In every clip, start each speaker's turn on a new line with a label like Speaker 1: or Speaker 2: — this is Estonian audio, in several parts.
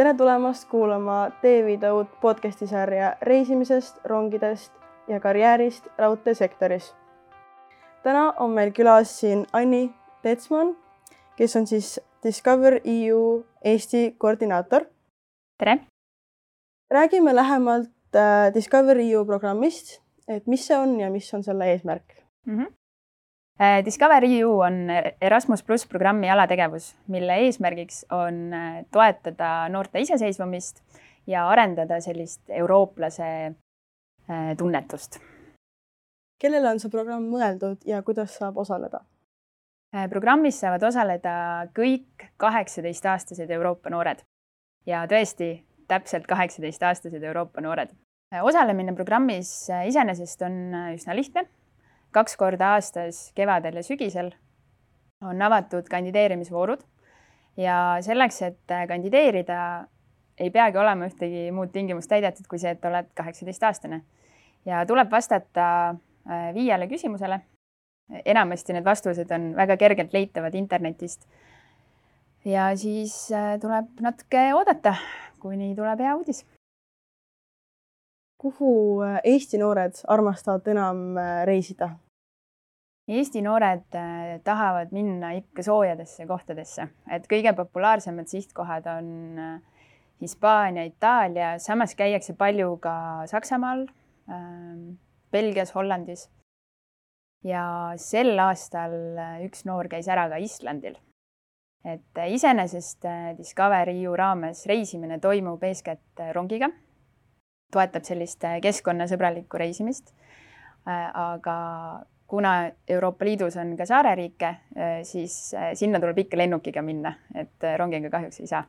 Speaker 1: Tere tulemast kuulama Teeviida uut podcasti sarja reisimisest, rongidest ja karjäärist raudteesektoris. Täna on meil külas siin Anni Tetsman, kes on siis Discover EU Eesti koordinaator.
Speaker 2: Tere!
Speaker 1: Räägime lähemalt Discover EU programmist, et mis see on ja mis on selle eesmärk.
Speaker 2: Discover EU on Erasmus+ programmi alategevus, mille eesmärgiks on toetada noorte iseseisvumist ja arendada sellist eurooplase tunnetust.
Speaker 1: Kellele on see programm mõeldud ja kuidas saab osaleda?
Speaker 2: Programmis saavad osaleda kõik 18-aastased Euroopa noored ja tõesti täpselt 18-aastased Euroopa noored. Osalemine programmis iseenesest on üsna lihtne. 2 korda aastas kevadel ja sügisel on avatud kandideerimisvoorud ja selleks, et kandideerida, ei peagi olema ühtegi muud tingimust täidetud kui see, et oled 18-aastane. Ja tuleb vastata 5 küsimusele. Enamasti need vastused on väga kergelt leitavad internetist. Ja siis tuleb natuke oodata, kuni tuleb hea uudis.
Speaker 1: Kuhu Eesti noored armastavad enam reisida?
Speaker 2: Eesti noored tahavad minna ikka soojadesse kohtadesse. Et kõige populaarsemad sihtkohad on Hispaania, Itaalia, samas käiakse palju ka Saksamaal, Belgias, Hollandis. Ja sel aastal üks noor käis ära ka Islandil. Et iseenesest Discover EU raames reisimine toimub eeskätt rongiga. Toetab sellist keskkonnasõbralikku reisimist, aga kuna Euroopa Liidus on ka saareriike, siis sinna tuleb ikka lennukiga minna, et rongiga kahjuks ei saa.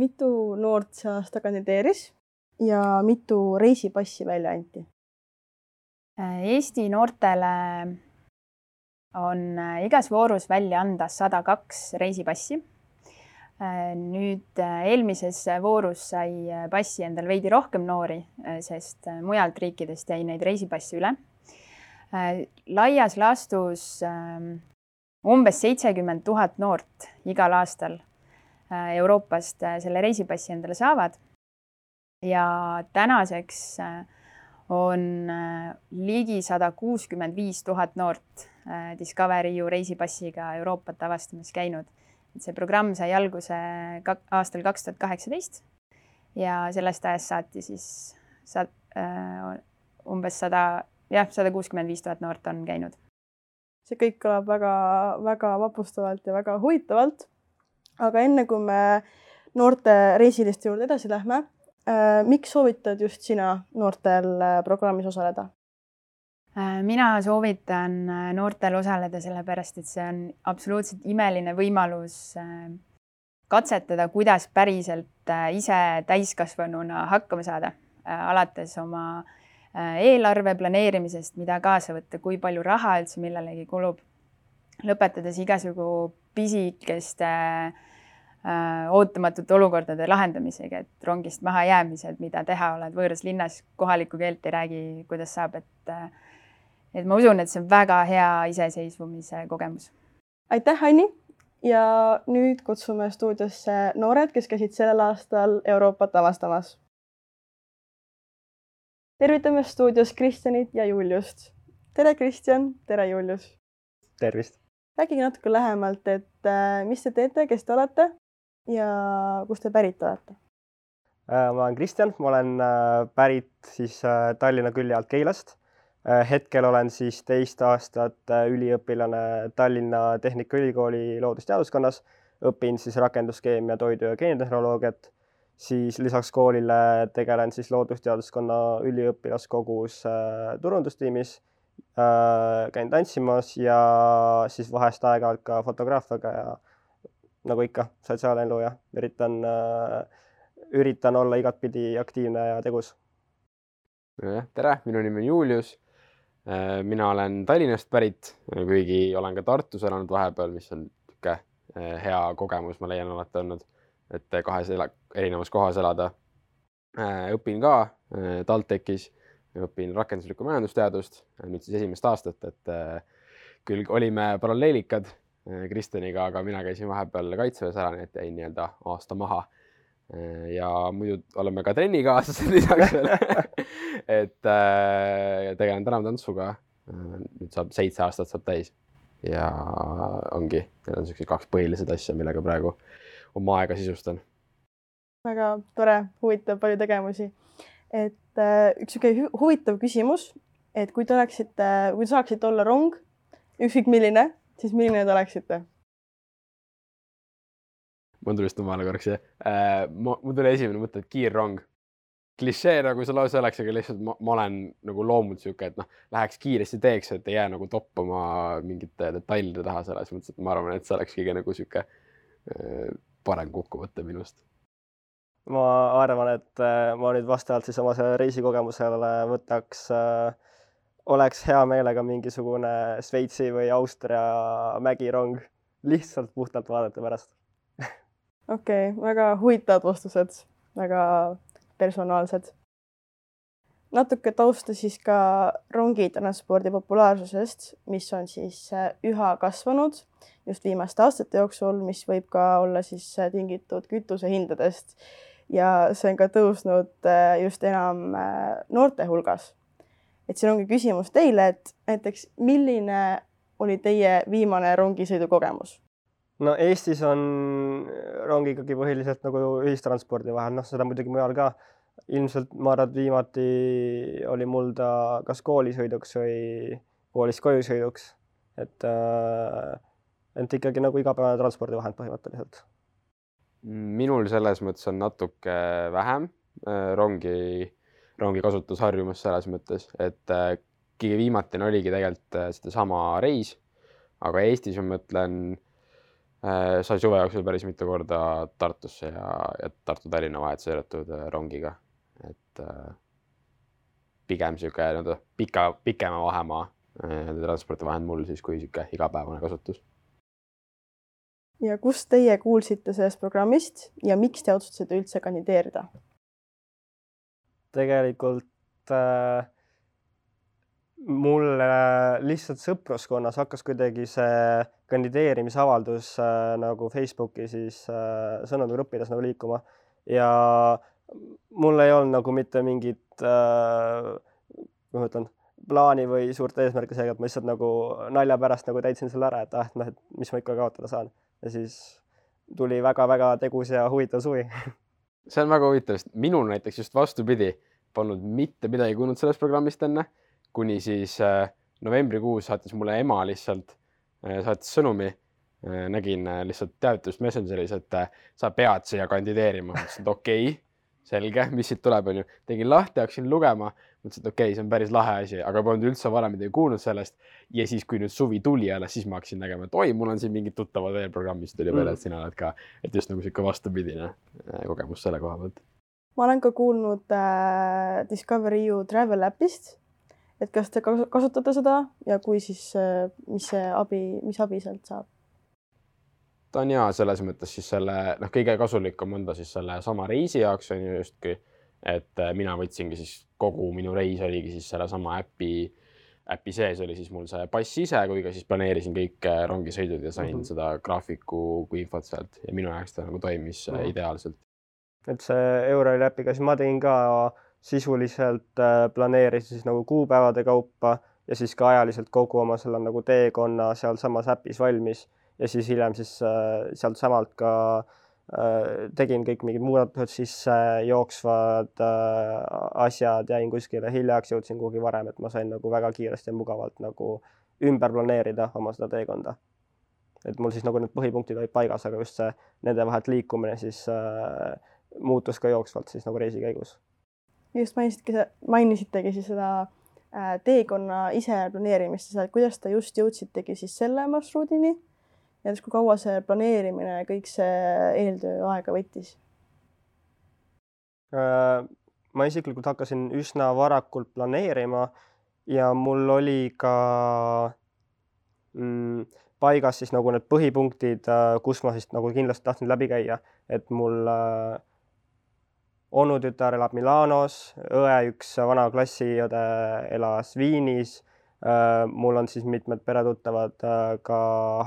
Speaker 1: Mitu noort see aasta kandideeris ja mitu reisipassi välja anti?
Speaker 2: Eesti noortele on igas voorus välja anda 102 reisipassi. Nüüd eelmises voorus sai passi endal veidi rohkem noori, sest mujalt riikidest jäi neid reisipassi üle. Laias laastus umbes 70 000 noort igal aastal Euroopast selle reisipassi endale saavad. Ja tänaseks on ligi 165 000 noort Discover EU reisipassiga Euroopat avastamas käinud. See programm sai alguse aastal 2018 ja sellest ajast saati siis umbes 165 000 noort on käinud. See
Speaker 1: kõik kõlab väga vapustavalt ja väga huvitavalt. Aga enne kui me noorte reisiliste juurde edasi lähme, miks soovitad just sina noortel programmis osaleda?
Speaker 2: Mina soovitan noortel osaleda sellepärast, et see on absoluutselt imeline võimalus katsetada, kuidas päriselt ise täiskasvanuna hakkama saada. Alates oma eelarve planeerimisest, mida kaasa võtta, kui palju raha üldse millelegi kulub. Lõpetades igasugu pisikeste ootamatute olukordade lahendamisega, et rongist maha jäämised, mida teha, oled võõras linnas, kohalikku keelt ei räägi, kuidas saab, et ma usun, et see on väga hea iseseisvumise kogemus.
Speaker 1: Aitäh, Anni! Ja nüüd kutsume stuudiosse noored, kes käisid sellel aastal Euroopat avastamas. Tervitame stuudios Kristjanit ja Juliust. Tere, Kristjan! Tere, Julius!
Speaker 3: Tervist!
Speaker 1: Rääkige natuke lähemalt, et mis te teete, kes te olete ja kust te pärit olete?
Speaker 3: Ma olen Kristjan, ma olen pärit siis Tallinna külje alt Keilast. Hetkel olen siis 2 aastat üliõpilane Tallinna Tehnikaülikooli loodusteaduskonnas. Õpin siis rakenduskeemia, toidu- ja geenitehnoloogiat. Siis lisaks koolile tegelen siis loodusteaduskonna üliõpilaskogus turundustiimis. Käin tantsimas ja siis vahest aeg-ajalt ka fotograafiaga ja nagu ikka sotsiaalelu ja üritan olla igatpidi aktiivne ja tegus.
Speaker 4: Tere, minu nimi on Julius. Mina olen Tallinnast pärit, kuigi olen ka Tartus elanud vahepeal, mis on hea kogemus, ma leian alati olnud, et 2 erinevas kohas elada. Õpin ka TalTechis, õpin rakenduslikku majandusteadust, nüüd siis 1. aastat, et küll olime paralleelikad Kristjaniga, aga mina käisin vahepeal kaitseväes ära, nii et jäin aasta maha. ja muidu oleme ka trennikaaslased lisaks veel. Et tegelen tänavtantsuga. Nüüd 7 aastat saab täis ja ongi, need on sellised 2 põhilised asja, millega praegu oma aega sisustan.
Speaker 1: Väga tore, huvitav, palju tegemusi. Et üks huvitav küsimus, et kui saaksite olla rong, ükskõik milline, siis milline te oleksite?
Speaker 4: Mul tuli just numale korraks, jah. Mul tuli esimene mõte, et kiirrong. Klišee nagu see lause oleks, aga lihtsalt ma olen nagu loomult siuke, et läheks kiiresti teeks, et ei jää nagu toppama mingite detailide taha selles mõttes, et ma arvan, et see oleks kõige nagu siuke parem kokkuvõte minust.
Speaker 3: Ma arvan, et ma nüüd vastavalt siis oma selle reisikogemusele oleks hea meelega mingisugune Šveitsi või Austria mägirong lihtsalt puhtalt vaadata pärast.
Speaker 1: Okei, väga huvitavad vastused, väga personaalsed. Natuke tausta siis ka rongitranspordi populaarsusest, mis on siis üha kasvanud just viimaste aastate jooksul, mis võib ka olla siis tingitud kütusehindadest. Ja see on ka tõusnud just enam noorte hulgas. Et siin ongi küsimus teile, et näiteks milline oli teie viimane rongisõidu kogemus?
Speaker 3: No Eestis on rong ikkagi põhiliselt nagu ühistranspordi vahel, seda muidugi mujal ka. Ilmselt ma arvan, et viimati oli mul ta kas koolisõiduks või koolist koju sõiduks. Et ikkagi nagu igapäevane transpordivahend põhimõtteliselt.
Speaker 4: Minul selles mõttes on natuke vähem rongi kasutusharjumus selles mõttes, et kõige viimatine oligi tegelikult seda sama reis, aga Eestis ma mõtlen sai suve jooksul päris mitu korda Tartusse ja Tartu-Tallinna vahet sõidetud rongiga. Et pigem siuke pikema vahemaa transpordivahend mul siis kui siuke igapäevane kasutus.
Speaker 1: Ja kus teie kuulsite sellest programmist ja miks te otsustasite üldse kandideerida?
Speaker 3: Tegelikult mulle lihtsalt sõpruskonnas hakkas kuidagi see kandideerimisavaldus nagu Facebooki siis sõnumigruppides nagu liikuma ja mul ei olnud nagu mitte mingit plaani või suurt eesmärki seega, et ma lihtsalt nagu nalja pärast nagu täitsin selle ära, et mis ma ikka kaotada saan. Ja siis tuli väga-väga tegus ja huvitav suvi.
Speaker 4: See on väga huvitav, sest minul näiteks just vastupidi polnud mitte midagi kuulnud sellest programmist enne, kuni siis novembrikuus saatis mulle ema lihtsalt saatis sõnumi, nägin lihtsalt teavitust Messengeris, et sa pead siia kandideerima. Mõtlesin, et okei, selge, mis siit tuleb, on ju. Tegin lahti, hakkasin lugema, mõtlesin, et okei, see on päris lahe asi, aga polnud üldse varem midagi kuulnud sellest. Ja siis, kui nüüd suvi tuli jälle, siis ma hakkasin nägema, et oi, mul on siin mingid tuttavad veel programmist tuli veel, et sina oled ka, et just nagu siuke vastupidine kogemus selle koha pealt.
Speaker 1: Ma olen ka kuulnud Discover EU Travel Appist, et kas te kasutate seda ja kui siis, mis abi sealt saab?
Speaker 4: Ta on hea selles mõttes siis selle, kõige kasulikum on ta siis selle sama reisi jaoks on ju justki, et mina võtsingi siis kogu minu reis oligi siis selle sama äpi sees oli siis mul see pass ise, kui ka siis planeerisin kõik rongisõidud ja sain seda graafiku kui infot sealt ja minu jaoks ta nagu toimis ideaalselt.
Speaker 3: Et see Euroli äpiga siis ma tegin ka sisuliselt planeerisin siis nagu kuupäevade kaupa ja siis ka ajaliselt kogu oma selle nagu teekonna seal samas äpis valmis ja siis hiljem siis sealt samalt ka tegin kõik mingid muudatused sisse, jooksvad asjad, jäin kuskile hiljaks, jõudsin kuhugi varem, et ma sain nagu väga kiiresti ja mugavalt nagu ümber planeerida oma seda teekonda. Et mul siis nagu need põhipunktid olid paigas, aga just see nende vahelt liikumine siis muutus ka jooksvalt siis nagu reisi käigus.
Speaker 1: Just mainisitegi siis seda teekonna ise planeerimist, kuidas te just jõudsitegi siis selle marsruudini ja kui kaua see planeerimine ja kõik see eeltöö aega võttis?
Speaker 3: Ma isiklikult hakkasin üsna varakult planeerima ja mul oli ka paigas siis nagu need põhipunktid, kus ma siis nagu kindlasti tahtsin läbi käia, et mul onutütar elab Milanos, õe üks vana klassiõde elas Viinis, mul on siis mitmed peretuttavad ka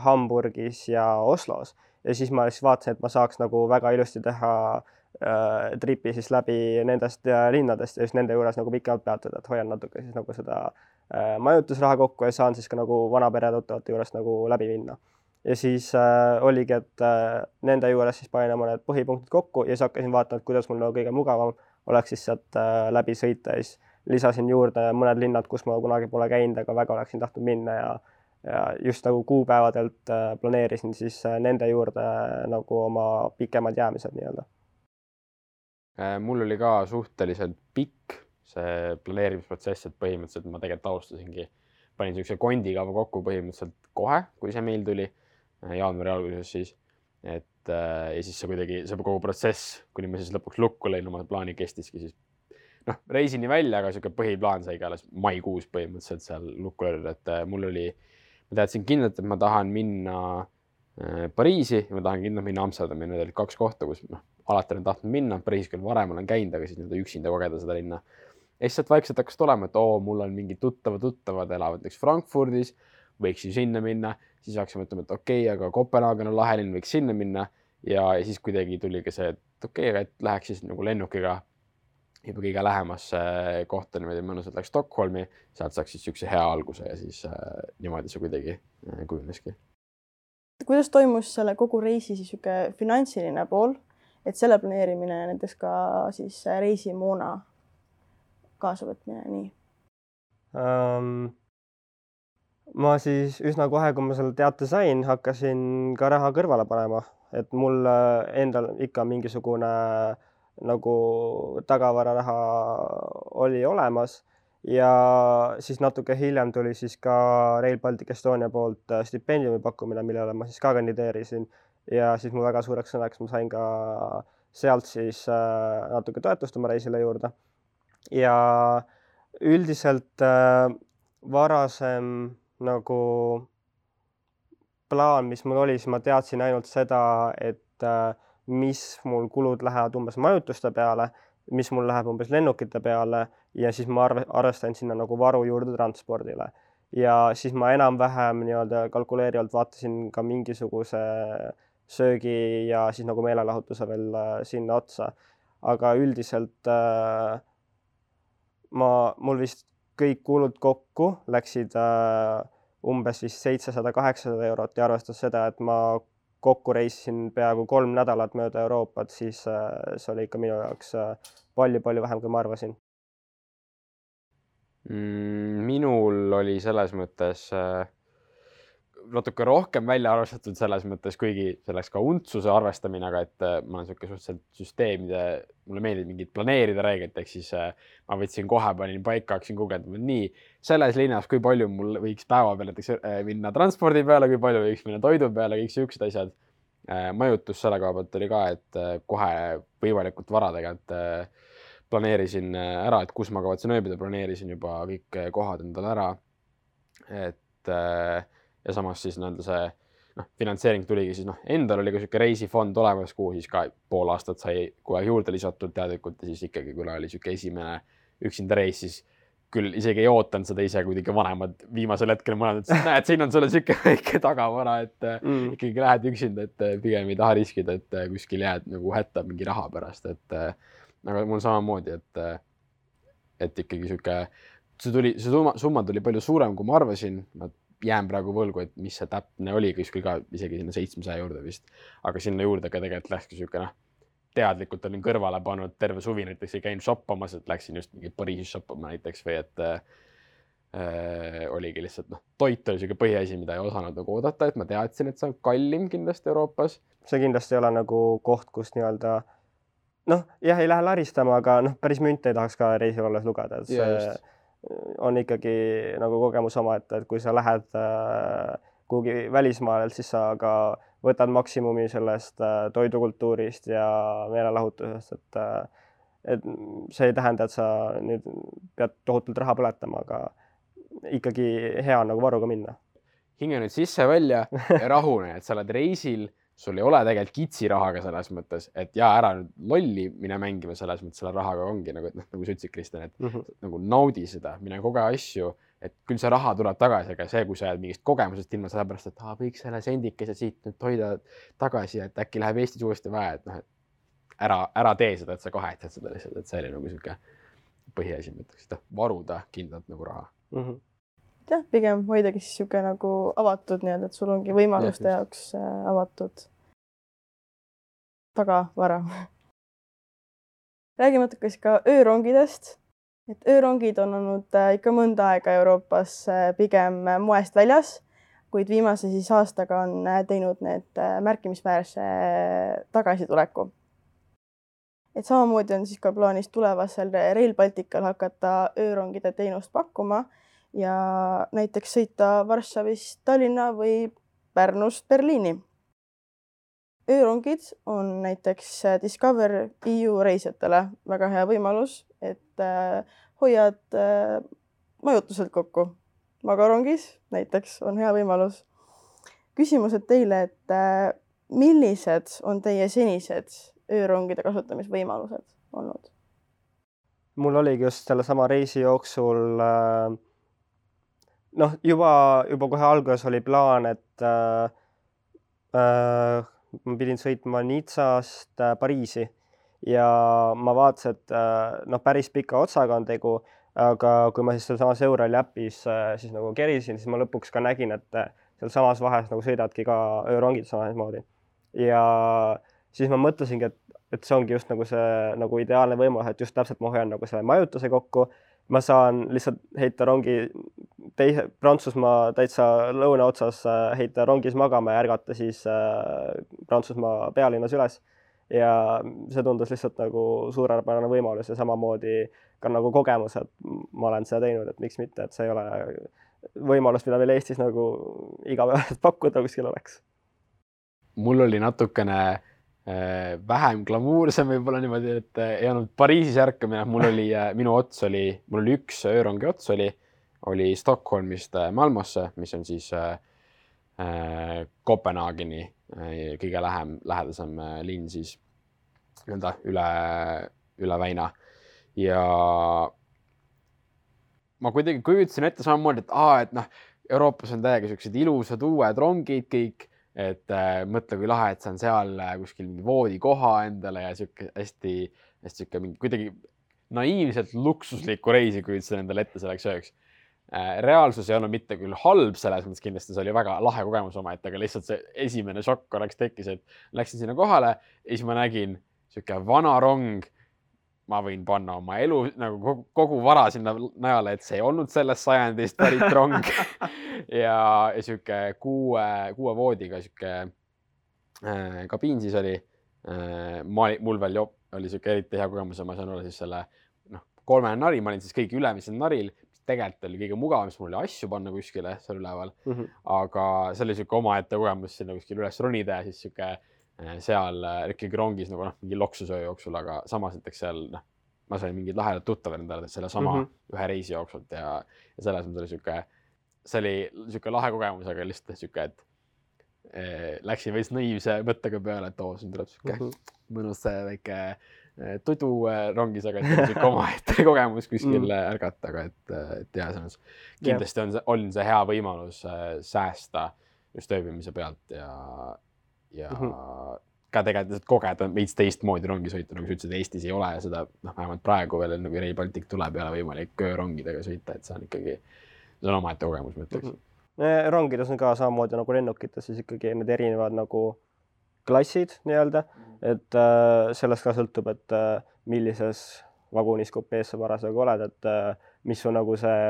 Speaker 3: Hamburgis ja Oslos ja siis ma siis vaatasin, et ma saaks nagu väga ilusti teha tripi siis läbi nendest linnadest ja just nende juures nagu pikemalt peatuda, et hoian natuke siis nagu seda majutusraha kokku ja saan siis ka nagu vanapere tuttavate juurest nagu läbi minna. Ja siis oligi, et nende juures siis panin oma need põhipunktid kokku ja siis hakkasin vaatama, et kuidas mul nagu kõige mugavam oleks siis sealt läbi sõita ja siis lisasin juurde mõned linnad, kus ma kunagi pole käinud, aga väga oleksin tahtnud minna ja just nagu kuupäevadelt planeerisin siis nende juurde nagu oma pikemad jäämised nii-öelda.
Speaker 4: Mul oli ka suhteliselt pikk see planeerimisprotsess, et põhimõtteliselt ma tegelikult alustasingi, panin sellise kondikava kokku põhimõtteliselt kohe, kui see meil tuli jaanuari alguses siis, et ja siis see kogu protsess, kuni ma siis lõpuks lukku lõin oma plaani kestiski siis reisini välja, aga selline põhiplaan saigi alles maikuus põhimõtteliselt seal lukku löödud, et ma teadsin kindlalt, et ma tahan minna Pariisi ja ma tahan kindlalt minna Amsterdami, need olid 2 kohta, kus alati olen tahtnud minna, Pariisis küll varem olen käinud, aga siis üksinda kogeda seda linna. Ja siis sealt vaikselt hakkas tulema, et mul on mingid tuttavad elavad näiteks Frankfurdis, võiks ju sinna minna, siis hakkasime mõtlema, et okei, aga Kopenhaagen on lahelinn, võiks sinna minna ja siis kuidagi tuli ka see, et okei, aga et läheks siis nagu lennukiga juba kõige lähemasse kohta niimoodi mõnusalt läks Stockholmi, sealt saaks siis üks hea alguse ja siis niimoodi see kuidagi kujuneski.
Speaker 1: Kuidas toimus selle kogu reisi siis finantsiline pool, et selle planeerimine näiteks ka siis reisimoona kaasavõtmine, nii?
Speaker 3: Ma siis üsna kohe, kui ma selle teate sain, hakkasin ka raha kõrvale panema, et mul endal ikka mingisugune nagu tagavararaha oli olemas ja siis natuke hiljem tuli siis ka Rail Baltic Estonia poolt stipendiumi pakkumine, millele ma siis ka kandideerisin ja siis mul väga suureks sõnaks ma sain ka sealt siis natuke toetust oma reisile juurde ja üldiselt varasem nagu plaan, mis mul oli, siis ma teadsin ainult seda, et mis mul kulud lähevad umbes majutuste peale, mis mul läheb umbes lennukite peale ja siis ma arvestan sinna nagu varu juurde transpordile. Ja siis ma enam-vähem nii-öelda kalkuleerivalt vaatasin ka mingisuguse söögi ja siis nagu meelelahutuse veel sinna otsa. Aga üldiselt mul vist kõik kulud kokku läksid umbes vist 700-800 eurot ja arvestas seda, et ma kokku reisisin peaaegu 3 nädalat mööda Euroopat, siis see oli ikka minu jaoks palju-palju vähem, kui ma arvasin.
Speaker 4: Minul oli selles mõttes natuke rohkem välja arvestatud selles mõttes, kuigi selleks ka untsuse arvestamine, aga et ma olen suhteliselt süsteemide, mulle meeldib mingid planeerida reeglit, ehk siis ma võtsin kohe, panin paika, hakkasin guugeldama, nii selles linnas, kui palju mul võiks päeva peale minna transpordi peale, kui palju võiks minna toidu peale, kõik siuksed asjad. Majutus selle koha pealt oli ka, et kohe võimalikult vara tegelikult planeerisin ära, et kus ma kavatsen ööbida, planeerisin juba kõik kohad endale ära. Et ja samas siis see finantseering tuligi siis endal oli ka selline reisifond olemas, kuhu siis ka pool aastat sai kohe juurde lisatud teadlikult ja siis ikkagi, kuna oli selline esimene üksinda reis, siis küll isegi ei ootanud seda ise, kuidagi vanemad viimasel hetkel mõlemad, et näed, siin on sulle selline väike tagavara, et ikkagi lähed üksinda, et pigem ei taha riskida, et kuskil jääd nagu hätta mingi raha pärast, et aga mul samamoodi, et ikkagi see summa tuli palju suurem, kui ma arvasin, ma jään praegu võlgu, et mis see täpne oli, kuskil ka isegi sinna 700 juurde vist, aga sinna juurde ka tegelikult läkski selline teadlikult olin kõrvale pannud terve suvi, näiteks ei käinud shoppamas, et läksin just mingi Pariisis shoppama näiteks või et oligi lihtsalt toit oli selline põhiasi, mida ei osanud nagu oodata, et ma teadsin, et see on kallim kindlasti Euroopas.
Speaker 3: See kindlasti ei ole nagu koht, kus nii-öelda jah, ei lähe laristama, aga päris münte ei tahaks ka reisil olles lugeda, et see on ikkagi nagu kogemus oma, et kui sa lähed kuhugi välismaalt, siis sa ka võtad maksimumi sellest toidukultuurist ja meelelahutusest, et see ei tähenda, et sa nüüd pead tohutult raha põletama, aga ikkagi hea on nagu varuga minna.
Speaker 4: Hinge nüüd sisse välja ja rahune, et sa oled reisil, sul ei ole tegelikult kitsirahaga selles mõttes, et ära nüüd lolli mine mängima selles mõttes selle rahaga ongi, nagu sa ütlesid, Kristjan, et nagu naudi seda, mine koge asju, et küll see raha tuleb tagasi, aga see, kui sa jääd mingist kogemusest ilma sellepärast, et kõik selle sendikese siit nüüd hoida tagasi, et äkki läheb Eestis uuesti vaja, et ära tee seda, et sa kahetad seda lihtsalt, et see oli nagu sihuke põhiasi, ma ütleks, et varuda kindlalt nagu raha.
Speaker 1: Jah, pigem hoidagi siis sihuke nagu avatud nii-öelda, et sul ongi võimaluste jaoks avatud tagavara. Räägime natuke ka öörongidest. Et öörongid on olnud ikka mõnda aega Euroopas pigem moest väljas, kuid viimase siis aastaga on teinud need märkimisväärse tagasituleku. Et samamoodi on siis ka plaanis tulevasel Rail Baltical hakata öörongide teenust pakkuma ja näiteks sõita Varssavist Tallinna või Pärnust Berliini. Öörongid on näiteks Discover EU reisijatele väga hea võimalus, et hoiad majutuselt kokku. Magarongis näiteks on hea võimalus. Küsimused teile, et millised on teie senised öörongide kasutamisvõimalused olnud?
Speaker 3: Mul oligi just selle sama reisi jooksul, juba kohe alguses oli plaan, et ma pidin sõitma Nizzast Pariisi ja ma vaatasin, et päris pika otsaga on tegu, aga kui ma siis seal samas Eurali äpis siis nagu kerisin, siis ma lõpuks ka nägin, et seal samas vahes nagu sõidadki ka öörongid samamoodi. Ja siis ma mõtlesingi, et see ongi just nagu see nagu ideaalne võimalus, et just täpselt ma hoian nagu selle majutuse kokku. Ma saan lihtsalt heita rongi Prantsusmaa täitsa lõuna otsas, heita rongis magama ja ärgata siis Prantsusmaa pealinnas üles. Ja see tundus lihtsalt nagu suurepärane võimalus ja samamoodi ka nagu kogemus, et ma olen seda teinud, et miks mitte, et see ei ole võimalus, mida meil Eestis nagu igapäevaselt pakkuda kuskil oleks.
Speaker 4: Mul oli natukene vähem glamuursem võib-olla niimoodi, et ei olnud Pariisis ärkamine. Mul oli üks öörongi ots oli Stockholmist Malmosse, mis on siis Kopenhaageni kõige lähedasem linn siis üle väina. Ja ma kuidagi kujutasin ette samamoodi, et Euroopas on täiega sellised ilusad uued rongid kõik, et mõtle, kui lahe, et see on seal kuskil mingi voodikoha endale ja hästi mingi kuidagi naiivselt luksuslikku reisi kujutasin endale ette selleks ööks. Reaalsus ei olnud mitte küll halb selles mõttes, kindlasti see oli väga lahe kogemus omaette, aga lihtsalt see esimene šokk korraks tekkis, et läksin sinna kohale ja siis ma nägin siuke vana rong. Ma võin panna oma elu nagu kogu vara sinna najale, et see ei olnud sellest sajandist pärit rong ja siuke kuue voodiga siuke kabiin siis oli. Mul veel oli siuke eriti hea kogemus ja ma sain olla siis selle 3 nari, ma olin siis kõigi ülemisel naril. Tegelikult oli kõige mugavam, mis mul oli asju panna kuskile seal üleval, aga see oli siuke omaette kogemus sinna kuskil üles ronida ja siis siuke seal ikkagi rongis nagu mingi loksusöö jooksul, aga samas näiteks seal ma sain mingid lahedad tuttavad endale selle sama ühe reisi jooksult ja selles mõttes see oli siuke lahe kogemus, aga lihtsalt siuke, et läksin veits naiivse mõttega peale, et siin tuleb siuke mõnus väike tudu rongis, aga et siuke omaette kogemus kuskil ärgata, aga et jah, kindlasti on see hea võimalus säästa just ööbimise pealt ja ka tegelikult kogeda veits teistmoodi rongisõitu, nagu sa ütlesid, Eestis ei ole seda, vähemalt praegu veel, kui Rail Baltic tuleb, ei ole võimalik öörongidega sõita, et see on ikkagi, see on omaette kogemus, ma ütleks.
Speaker 3: Rongides on ka samamoodi nagu lennukites, siis ikkagi need erinevad nagu klassid nii-öelda, et sellest ka sõltub, et millises vagunis kupees sa parasjagu oled, et mis su nagu see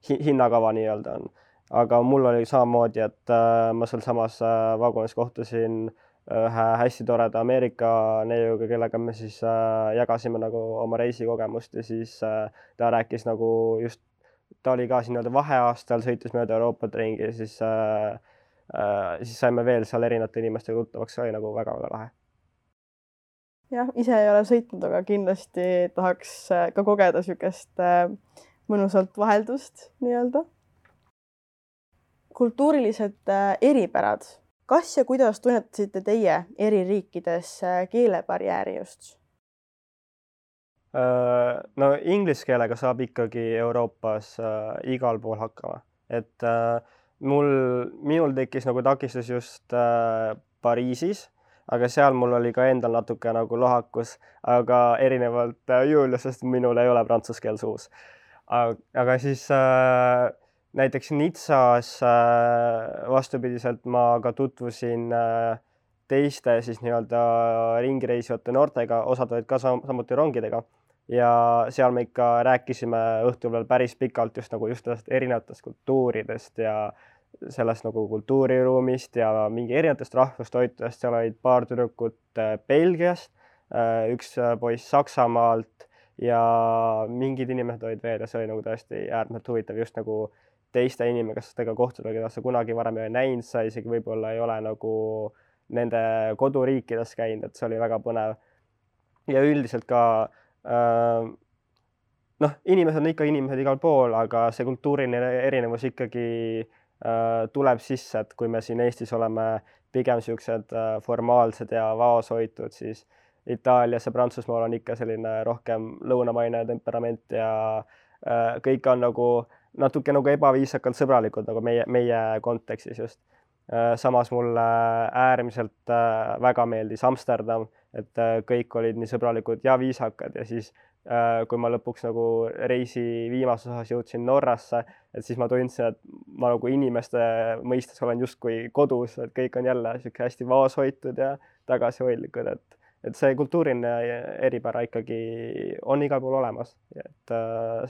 Speaker 3: hinnakava nii-öelda on. Aga mul oli samamoodi, et ma seal samas vagunis kohtusin ühe hästi toreda Ameerika neiuga, kellega me siis jagasime nagu oma reisikogemust ja siis ta rääkis nagu just, ta oli ka siin vaheaastal, sõitis mööda Euroopat ringi ja siis saime veel seal erinevate inimestega tuttavaks, see oli nagu väga-väga lahe.
Speaker 1: Jah, ise ei ole sõitnud, aga kindlasti tahaks ka kogeda sükest mõnusalt vaheldust nii-öelda. Kultuurilised eripärad. Kas ja kuidas tunnetasite teie eri riikides keelebarjääri just?
Speaker 3: Inglise keelega saab ikkagi Euroopas igal pool hakkama. Et minul tekkis nagu takistus just Pariisis, aga seal mul oli ka endal natuke nagu lohakus, aga erinevalt Juliusest minul ei ole prantsuse keel suus. Aga siis näiteks Nitsas vastupidiselt ma ka tutvusin teiste siis nii-öelda ringireisivate noortega, osad olid ka samuti rongidega ja seal me ikka rääkisime õhtul veel päris pikalt just erinevatest kultuuridest ja sellest nagu kultuuriruumist ja mingi erinevatest rahvustoitudest. Seal olid paar tüdrukut Belgiast, üks poiss Saksamaalt ja mingid inimesed olid veel ja see oli nagu tõesti äärmiselt huvitav just nagu teiste inimestega kohtuda, keda sa kunagi varem ei ole näinud, sa isegi võib-olla ei ole nagu nende koduriikides käinud, et see oli väga põnev. Ja üldiselt ka inimesed on ikka inimesed igal pool, aga see kultuuriline erinevus ikkagi tuleb sisse, et kui me siin Eestis oleme pigem siuksed formaalsed ja vaoshoitud, siis Itaalias ja Prantsusmaal on ikka selline rohkem lõunamaine temperament ja kõik on nagu natuke nagu ebaviisakalt sõbralikud nagu meie kontekstis just. Samas mulle äärmiselt väga meeldis Amsterdam, et kõik olid nii sõbralikud ja viisakad ja siis kui ma lõpuks nagu reisi viimases osas jõudsin Norrasse, et siis ma tundsin, et ma nagu inimeste mõistes olen justkui kodus, et kõik on jälle siuke hästi vaoshoitud ja tagasihoidlikud, et see kultuuriline eripära ikkagi on igal pool olemas, et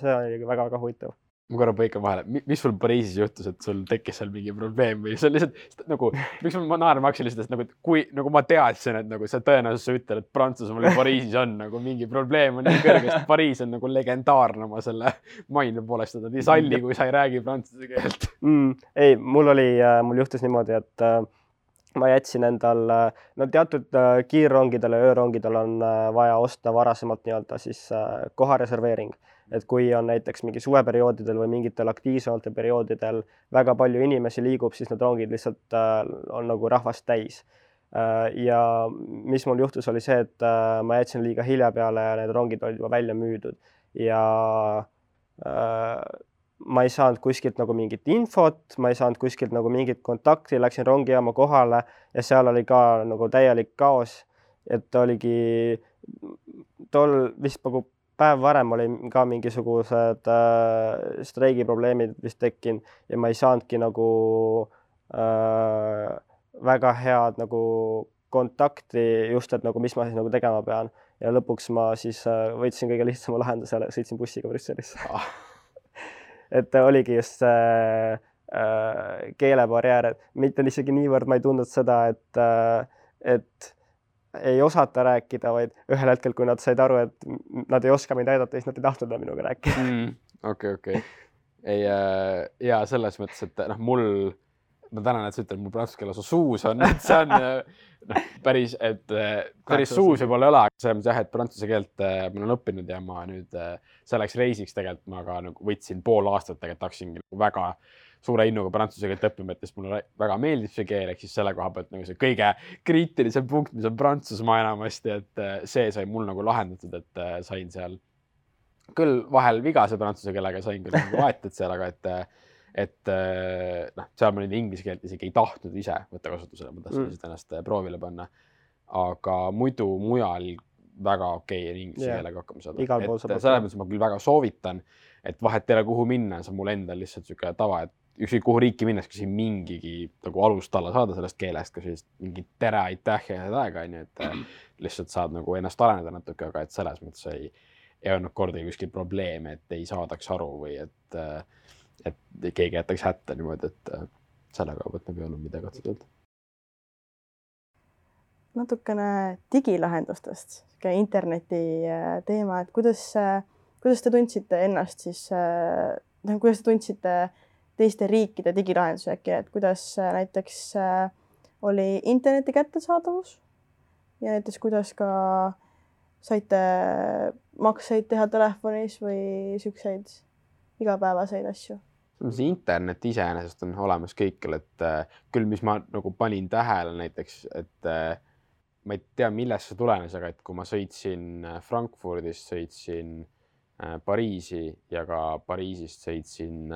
Speaker 3: see on väga-väga huvitav.
Speaker 4: Ma korra põikan vahele, mis sul Pariisis juhtus, et sul tekkis seal mingi probleem või see on lihtsalt nagu, miks ma naerma hakkasin lihtsalt, et nagu, kui nagu ma teadsin, et nagu see tõenäosus sa ütled, et Prantsusmaal ja Pariisis on nagu mingi probleem on nii kõrge, sest Pariis on nagu legendaarne oma selle maine poolest, et nad ei salli, kui sa ei räägi prantsuse keelt.
Speaker 3: Ei, mul juhtus niimoodi, et ma jätsin endal, teatud kiirrongidel ja öörongidel on vaja osta varasemalt nii-öelda siis kohareserveering. Et kui on näiteks mingi suveperioodidel või mingitel aktiivsematel perioodidel väga palju inimesi liigub, siis need rongid lihtsalt on nagu rahvast täis. Ja mis mul juhtus oli see, et ma jätsin liiga hilja peale ja need rongid olid juba välja müüdud ja ma ei saanud kuskilt nagu mingit infot, ma ei saanud kuskilt nagu mingit kontakti, läksin rongijaama kohale ja seal oli ka nagu täielik kaos, et oligi tol vist nagu päev varem oli ka mingisugused streigiprobleemid vist tekkinud ja ma ei saanudki nagu väga head nagu kontakti just, et nagu mis ma siis nagu tegema pean ja lõpuks ma siis võtsin kõige lihtsama lahenduse, sõitsin bussiga Brüsselisse. Et oligi just keelebarjäär, et mitte isegi niivõrd ma ei tundnud seda, et ei osata rääkida, vaid ühel hetkel, kui nad said aru, et nad ei oska mind aidata, siis nad ei tahtnud minuga rääkida.
Speaker 4: Okei. Ja selles mõttes, et ma tänan, et sa ütled, mul prantsuse keeles suus on, et see on päris suus võib-olla ei ole, aga selles mõttes jah, et prantsuse keelt ma olen õppinud ja ma nüüd selleks reisiks tegelikult ma ka nagu võtsin pool aastat tegelikult hakkasin väga suure innuga prantsuse keelt õppima, et mulle väga meeldib see keel, ehk siis selle koha pealt nagu see kõige kriitilisem punkt, mis on Prantsusmaa enamasti, et see sai mul nagu lahendatud, et sain seal küll vahel vigase prantsuse keelega, sain küll nagu vaetud seal, aga et seal ma nüüd inglise keelt isegi ei tahtnud ise võtta kasutusele, ma tahtsin lihtsalt ennast proovile panna, aga muidu mujal väga okei inglise keelega hakkama saada. Et selles mõttes ma küll väga soovitan, et vahet ei ole kuhu minna, see on mul endal lihtsalt siuke tava, et ükskõik kuhu riiki minnes, kui siin mingigi nagu alustalla saada sellest keelest, kas siis mingi tere, aitäh ja head aega, et lihtsalt saad nagu ennast areneda natuke, aga et selles mõttes ei olnud kordagi kuskil probleeme, et ei saadaks aru või et keegi jätaks hätta niimoodi, et sellega võtab ei olnud midagi otseselt.
Speaker 1: Natukene digilahendustest, interneti teema, et kuidas te tundsite ennast siis, kuidas te tundsite teiste riikide digilahendusi äkki, et kuidas näiteks oli interneti kättesaadavus ja näiteks kuidas ka saite makseid teha telefonis või siukseid igapäevaseid asju?
Speaker 4: See internet iseenesest on olemas kõikjal, et küll, mis ma nagu panin tähele näiteks, et ma ei tea, millest see tulenes, aga et kui ma sõitsin Frankfurdist, sõitsin Pariisi ja ka Pariisist sõitsin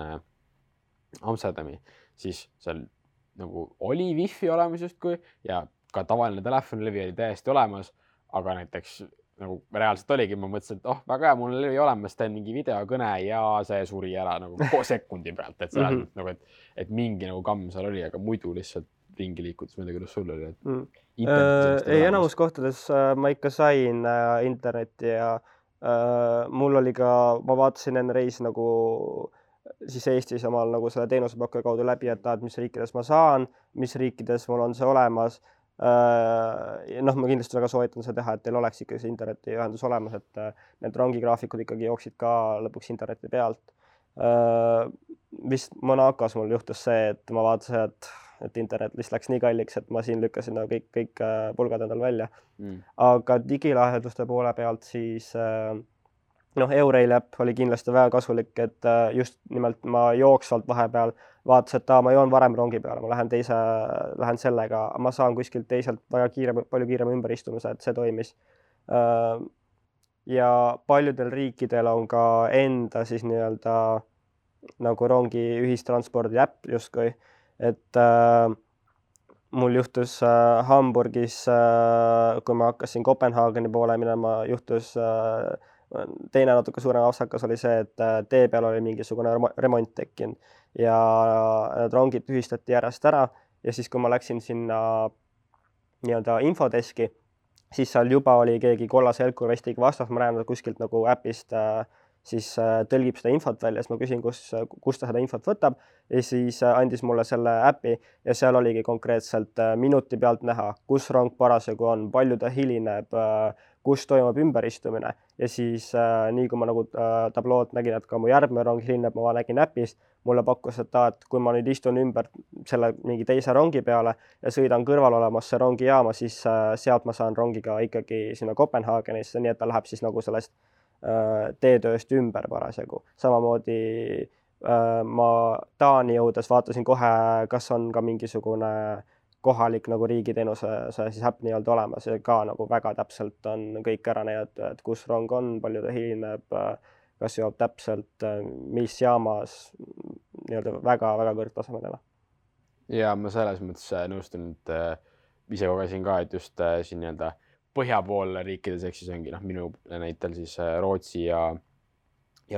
Speaker 4: Amsterdami, siis seal nagu oli wifi olemas justkui ja ka tavaline telefonlevi oli täiesti olemas, aga näiteks nagu reaalselt oligi, ma mõtlesin, et väga hea, mul on levi olemas, teen mingi videokõne ja see suri ära nagu sekundi pealt, et see nagu, et mingi nagu kamm seal oli, aga muidu lihtsalt ringi liikudes, ma ei tea, kuidas sul oli.
Speaker 3: Ei, enamus kohtades ma ikka sain internetti ja mul oli ka, ma vaatasin enne reisi nagu siis Eestis omal nagu selle teenusepakkuja kaudu läbi, et mis riikides ma saan, mis riikides mul on see olemas. Ma kindlasti väga soovitan seda teha, et teil oleks ikka see internetiühendus olemas, et need rongigraafikud ikkagi jooksid ka lõpuks interneti pealt. Vist Monacos mul juhtus see, et ma vaatasin, et internet lihtsalt läks nii kalliks, et ma siin lükkasin kõik pulgad endal välja. Aga digilahenduste poole pealt siis Eurail äpp oli kindlasti väga kasulik, et just nimelt ma jooksvalt vahepeal vaatasin, et ma joon varem rongi peale, ma lähen sellega, ma saan kuskilt teiselt palju kiirema ümberistumise, et see toimis. Ja paljudel riikidel on ka enda siis nii-öelda nagu rongi ühistranspordi äpp justkui, et mul juhtus Hamburgis, kui ma hakkasin Kopenhaageni poole minema, juhtus teine natuke suurem apsakas oli see, et tee peal oli mingisugune remont tekkinud ja need rongid tühistati järjest ära ja siis, kui ma läksin sinna nii-öelda infodeski, siis seal juba oli keegi kollase helkurvestiga vastas, ma näen kuskilt nagu äpist siis tõlgib seda infot välja, siis ma küsin, kus ta seda infot võtab ja siis andis mulle selle äpi ja seal oligi konkreetselt minuti pealt näha, kus rong parasjagu on, palju ta hilineb, kus toimub ümberistumine ja siis nii kui ma nagu tablood nägin, et ka mu järgmine rong hilineb, ma nägin äpist, mulle pakkus, et kui ma nüüd istun ümber selle mingi teise rongi peale ja sõidan kõrval olemasse rongijaama, siis sealt ma saan rongiga ikkagi sinna Kopenhaagenisse, nii et ta läheb siis nagu sellest teetööst ümber parasjagu. Samamoodi ma Taani jõudes vaatasin kohe, kas on ka mingisugune kohalik nagu riigiteenuse siis äpp nii-öelda olemas ja ka nagu väga täpselt on kõik ära näidatud, et kus rong on, palju ta hilineb, kas jõuab täpselt, mis jaamas, nii-öelda väga-väga kõrgtasemeline.
Speaker 4: Ja ma selles mõttes nõustun, et ise kogesin ka, et just siin nii-öelda põhja pool riikides, ehk siis ongi minu näitel siis Rootsi ja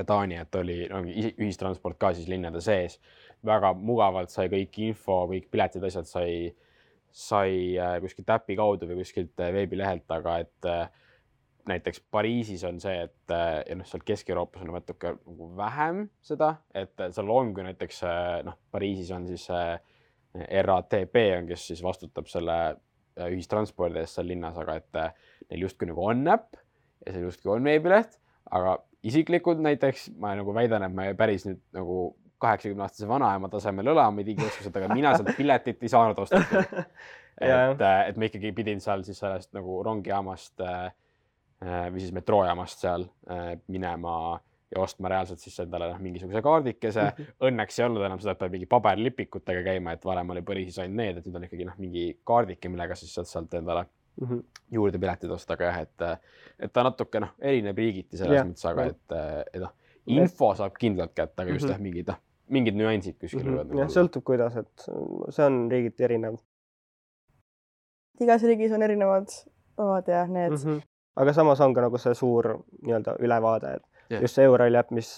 Speaker 4: Taani, et oli ühistransport ka siis linnade sees. Väga mugavalt sai kõik info, kõik piletid asjad sai kuskilt äpi kaudu või kuskilt veebilehelt, aga et näiteks Pariisis on see, et ja seal Kesk-Euroopas on natuke vähem seda, et seal on, kui näiteks Pariisis on siis RATP, kes siis vastutab selle ühistranspordi eest seal linnas, aga et neil justkui nagu on äpp ja see justkui on veebileht, aga isiklikult näiteks ma nagu väidan, et ma päris nüüd nagu 80-aastase vanaema tasemel õlama digioskused, aga mina sealt piletit ei saanud ostatud. et ma ikkagi pidin seal siis sellest nagu rongijaamast või siis metroojaamast seal minema ja ostma reaalselt siis endale mingisuguse kaardikese. Õnneks ei olnud enam seda, et peab mingi paberlipikutega käima, et varem oli Pariisis ainult need, et nüüd on ikkagi mingi kaardike, millega siis sealt endale juurde piletid osta, aga jah, et ta natuke erineb riigiti selles mõttes, aga et info saab kindlalt kätte, aga just mingid nüansid kuskil.
Speaker 3: Sõltub kuidas, et see on riigiti erinev.
Speaker 1: Igas riigis on erinevad omad ja need.
Speaker 3: Aga samas on ka nagu see suur nii-öelda ülevaade, et just see Eurail äpp, mis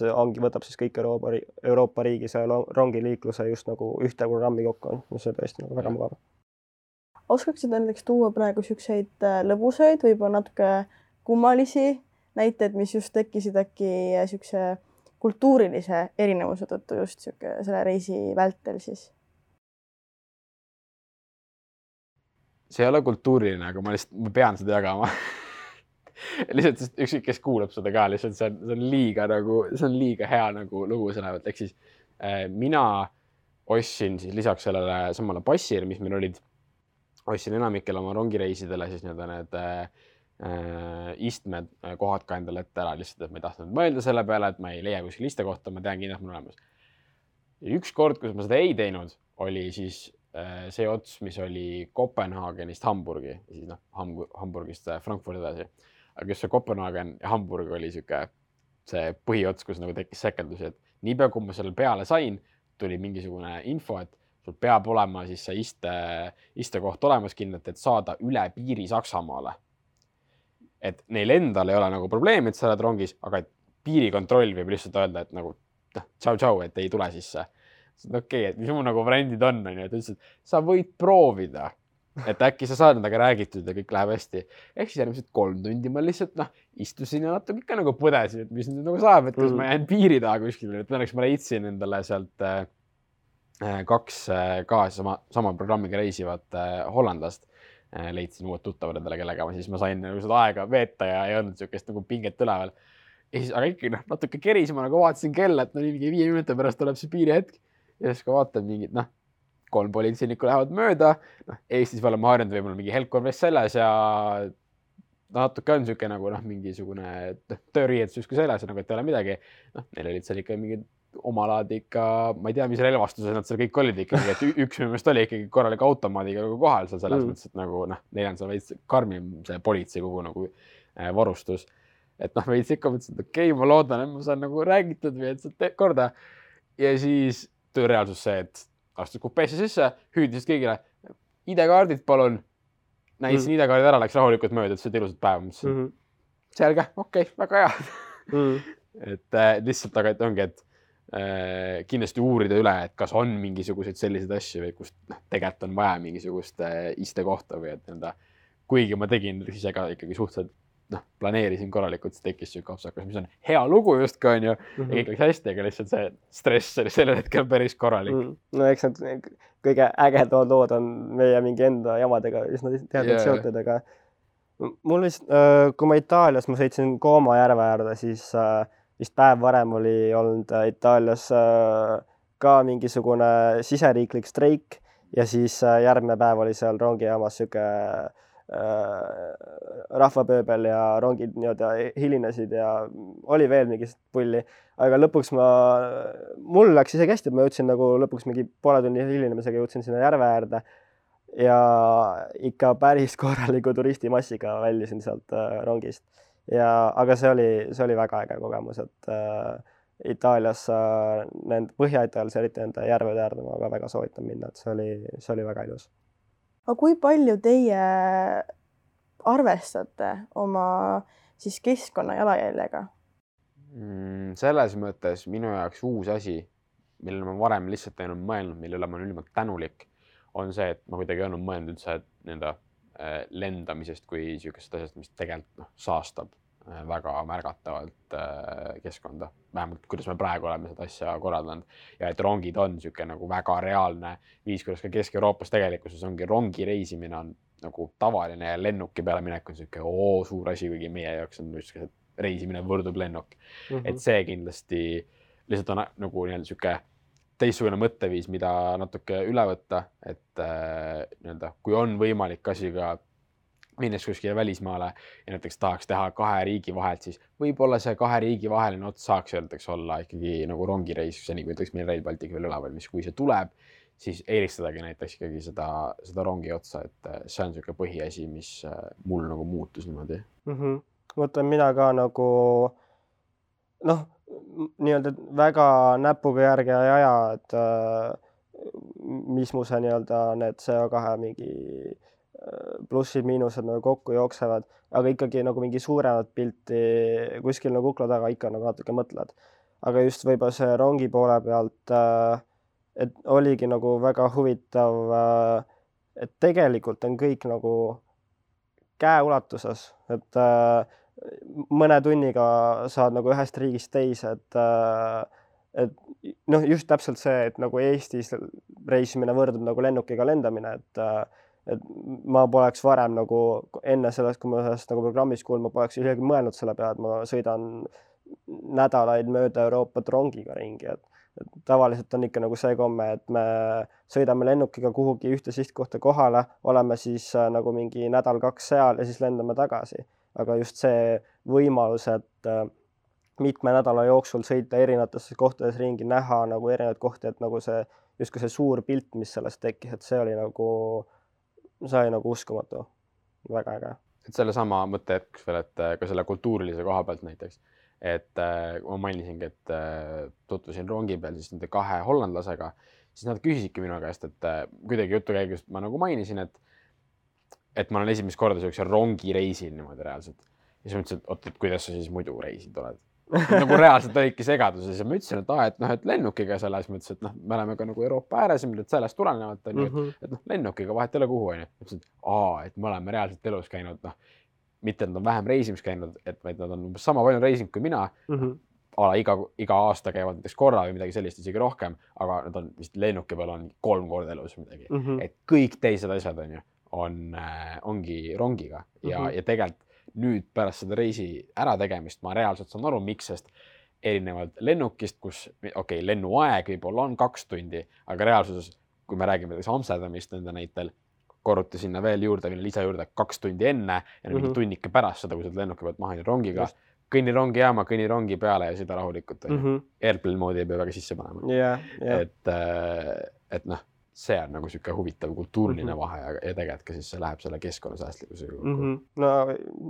Speaker 3: võtab siis kõik Euroopa riigis rongiliikluse just nagu ühte programmi kokku, mis on tõesti nagu väga mugav.
Speaker 1: Oskaksid näiteks tuua praegu selliseid lõbusaid, võib-olla natuke kummalisi näiteid, mis just tekkisid äkki selline kultuurilise erinevuse tõttu just selle reisi vältel siis?
Speaker 4: See ei ole kultuuriline, aga ma pean seda jagama. Lihtsalt ükskõik, kes kuulab seda ka, lihtsalt see on liiga hea nagu lugu sõnavalt. Ehk siis mina ostsin siis lisaks sellele samale passile, mis meil olid, ostsin enamikel oma rongireisidele siis need istmed kohad ka endale ette ära lihtsalt, et ma ei tahtnud mõelda selle peale, et ma ei leia kuskil istekohta, ma tean kindlalt mul olemas. Ja üks kord, kus ma seda ei teinud, oli siis see ots, mis oli Kopenhaagenist Hamburgi ja siis Hamburgist Frankfurti edasi. Aga just see Kopenhaagen ja Hamburg oli see põhiots, kus nagu tekkis sekeldusi, et niipea kui ma selle peale sain, tuli mingisugune info, et sul peab olema siis see istekoht olemas kindlalt, et saada üle piiri Saksamaale. Et neil endal ei ole nagu probleemi, et sa oled rongis, aga piirikontroll võib lihtsalt öelda, et nagu tšau, et ei tule sisse. Okei, et mis mu nagu variandid on, et ütlesid, sa võid proovida, et äkki sa saad nendega räägitud ja kõik läheb hästi. Ehk siis järgmised 3 tundi ma lihtsalt istusin ja natuke ikka nagu põdesin, et mis nüüd nagu saab, et kas ma jään piiri taha kuskil. Et õnneks ma leidsin endale sealt 2 ka sama programmiga reisivat hollandlast. Leidsin uued tuttavad endale, kellega ma sain nagu seda aega veeta ja ei olnud niisugust nagu pinget üleval. Aga ikkagi natuke keris, ma nagu vaatasin kella, et mingi 5 minuti pärast tuleb see piiri hetk. Ja siis ka vaatan mingid, 3 politseinikku lähevad mööda. Eestis me oleme harjunud võib-olla mingi helkkorvest selles ja natuke on niisugune nagu mingisugune tööriietus justkui selles, et ei ole midagi. Neil olid seal ikka mingid omalaadi ikka, ma ei tea, mis relvastused nad seal kõik olid ikkagi, et üks minu meelest oli ikkagi korralik automaadiga kohal seal selles mõttes, et nagu neil on seal veits karmim see politsei kogu nagu varustus. Et veits ikka mõtlesin, et okei, ma loodan, et ma saan nagu räägitud või et saad korda. Ja siis töö reaalsus see, et astud kupeesse sisse, hüüdisid kõigile, ID-kaardid palun. Näitasin ID-kaardid ära, läks rahulikult mööda, et see ilusat päeva. Mõtlesin, selge, okei, väga hea. Et lihtsalt aga et ongi, et kindlasti uurida üle, et kas on mingisuguseid selliseid asju või kust tegelikult on vaja mingisugust istekohta või et kuigi ma tegin siis ikkagi suhteliselt planeerisin korralikult, siis tekkis siuke apsakas, mis on hea lugu justkui on ju, ja kõik läks hästi, aga lihtsalt see stress oli sellel hetkel päris korralik.
Speaker 3: No eks need kõige ägedad lood on meie mingi enda jamadega üsna teadnud seotud, aga mul vist, kui ma Itaalias, ma sõitsin Como järve äärde, siis vist päev varem oli olnud Itaalias ka mingisugune siseriiklik streik ja siis järgmine päev oli seal rongijaamas siuke rahvapööbel ja rongid hilinesid ja oli veel mingist pulli, aga lõpuks mul läks isegi hästi, et ma jõudsin nagu lõpuks mingi poole tunni hilinemisega jõudsin sinna järve äärde ja ikka päris korraliku turistimassiga väljusin sealt rongist. Aga see oli väga äge kogemus, et Itaalias, Põhja-Itaalias eriti nende järvede äärde ma väga soovitan minna, et see oli väga ilus.
Speaker 1: Aga kui palju teie arvestate oma siis keskkonna jalajäljega?
Speaker 4: Selles mõttes minu jaoks uus asi, millele ma varem lihtsalt ei olnud mõelnud, mille üle ma olen ülimalt tänulik, on see, et ma kuidagi ei olnud mõelnud üldse lendamisest kui niisugust asjast, mis tegelikult saastab väga märgatavalt keskkonda. Vähemalt, kuidas me praegu oleme seda asja korraldanud. Ja et rongid on niisugune nagu väga reaalne viis, kuidas ka Kesk-Euroopas tegelikkuses ongi rongi reisimine on nagu tavaline ja lennuki peale minek on niisugune suur asi, kuigi meie jaoks on just reisimine võrdub lennuk. Et see kindlasti lihtsalt on nagu niisugune teistsugune mõtteviis, mida natuke üle võtta, et kui on võimalik asiga minnes kuskile välismaale ja näiteks tahaks teha 2 riigi vahelt, siis võib-olla see 2 riigi vaheline ots saaks olla ikkagi nagu rongireis, seni kui meil Rail Baltic veel üleval, mis kui see tuleb, siis eelistadagi näiteks ikkagi seda rongi otsa, et see on niisugune põhiasi, mis mul nagu muutus niimoodi.
Speaker 3: Mõtlen mina ka nagu nii-öelda väga näpuga järge ei aja, et mis mu see nii-öelda need CO2 mingi plussid, miinused nagu kokku jooksevad, aga ikkagi nagu mingi suuremat pilti kuskil nagu kukla taga ikka nagu natuke mõtled. Aga just võib-olla see rongi poole pealt, et oligi nagu väga huvitav, et tegelikult on kõik nagu käeulatuses, et mõne tunniga saad nagu ühest riigist teise, et just täpselt see, et nagu Eestis reisimine võrdub nagu lennukiga lendamine, et ma poleks varem nagu enne sellest, kui ma sellest nagu programmis kuulma, ma poleks isegi mõelnud selle peale, et ma sõidan nädalaid mööda Euroopat rongiga ringi, et tavaliselt on ikka nagu see komme, et me sõidame lennukiga kuhugi ühte sihtkohta kohale, oleme siis nagu mingi nädal-2 seal ja siis lendame tagasi. Aga just see võimalus, et mitme nädala jooksul sõita erinevatesse kohtades ringi, näha nagu erinevaid kohti, et nagu see, just see suur pilt, mis sellest tekkis, et see oli nagu uskumatu. Väga äge.
Speaker 4: Et selle sama mõtte hetkeks veel, et ka selle kultuurilise koha pealt näiteks, et ma mainisingi, et tutvusin rongi peal siis nende 2 hollandlasega, siis nad küsisidki minu käest, et kuidagi jutu käigus ma nagu mainisin, et ma olen esimest korda sellise rongireisil niimoodi reaalselt. Ja siis ma ütlesin, et oot, et kuidas sa siis muidu reisid oled? Nagu reaalselt olidki segaduses ja ma ütlesin, et lennukiga selles mõttes, et me oleme ka nagu Euroopa ääres, et sellest tulenevalt on et lennukiga vahet ei ole kuhu on ju. Ütlesin, et me oleme reaalselt elus käinud, mitte nad on vähem reisimis käinud, vaid nad on sama palju reisinud kui mina. Iga aasta käivad näiteks korra või midagi sellist, isegi rohkem, aga nad on vist lennuki peal on 3 korda elus midagi. Et kõik teised asjad on ju, ongi rongiga ja tegelikult nüüd pärast seda reisi ärategemist ma reaalselt saan aru, miks, sest erinevalt lennukist, kus lennuaeg võib-olla on 2 tundi, aga reaalsuses, kui me räägime Amsterdamist nende näitel, korruti sinna veel lisa juurde 2 tundi enne ja mingi tunnike pärast seda, kui sa lennuki pealt maha rongiga, kõnni rongijaama, kõnni rongi peale ja seda rahulikult. Airplane moodi ei pea väga sisse panema. Et see on nagu siuke huvitav kultuuriline vahe ja tegelikult ka siis see läheb selle keskkonnasäästlikkuse juurde.
Speaker 3: No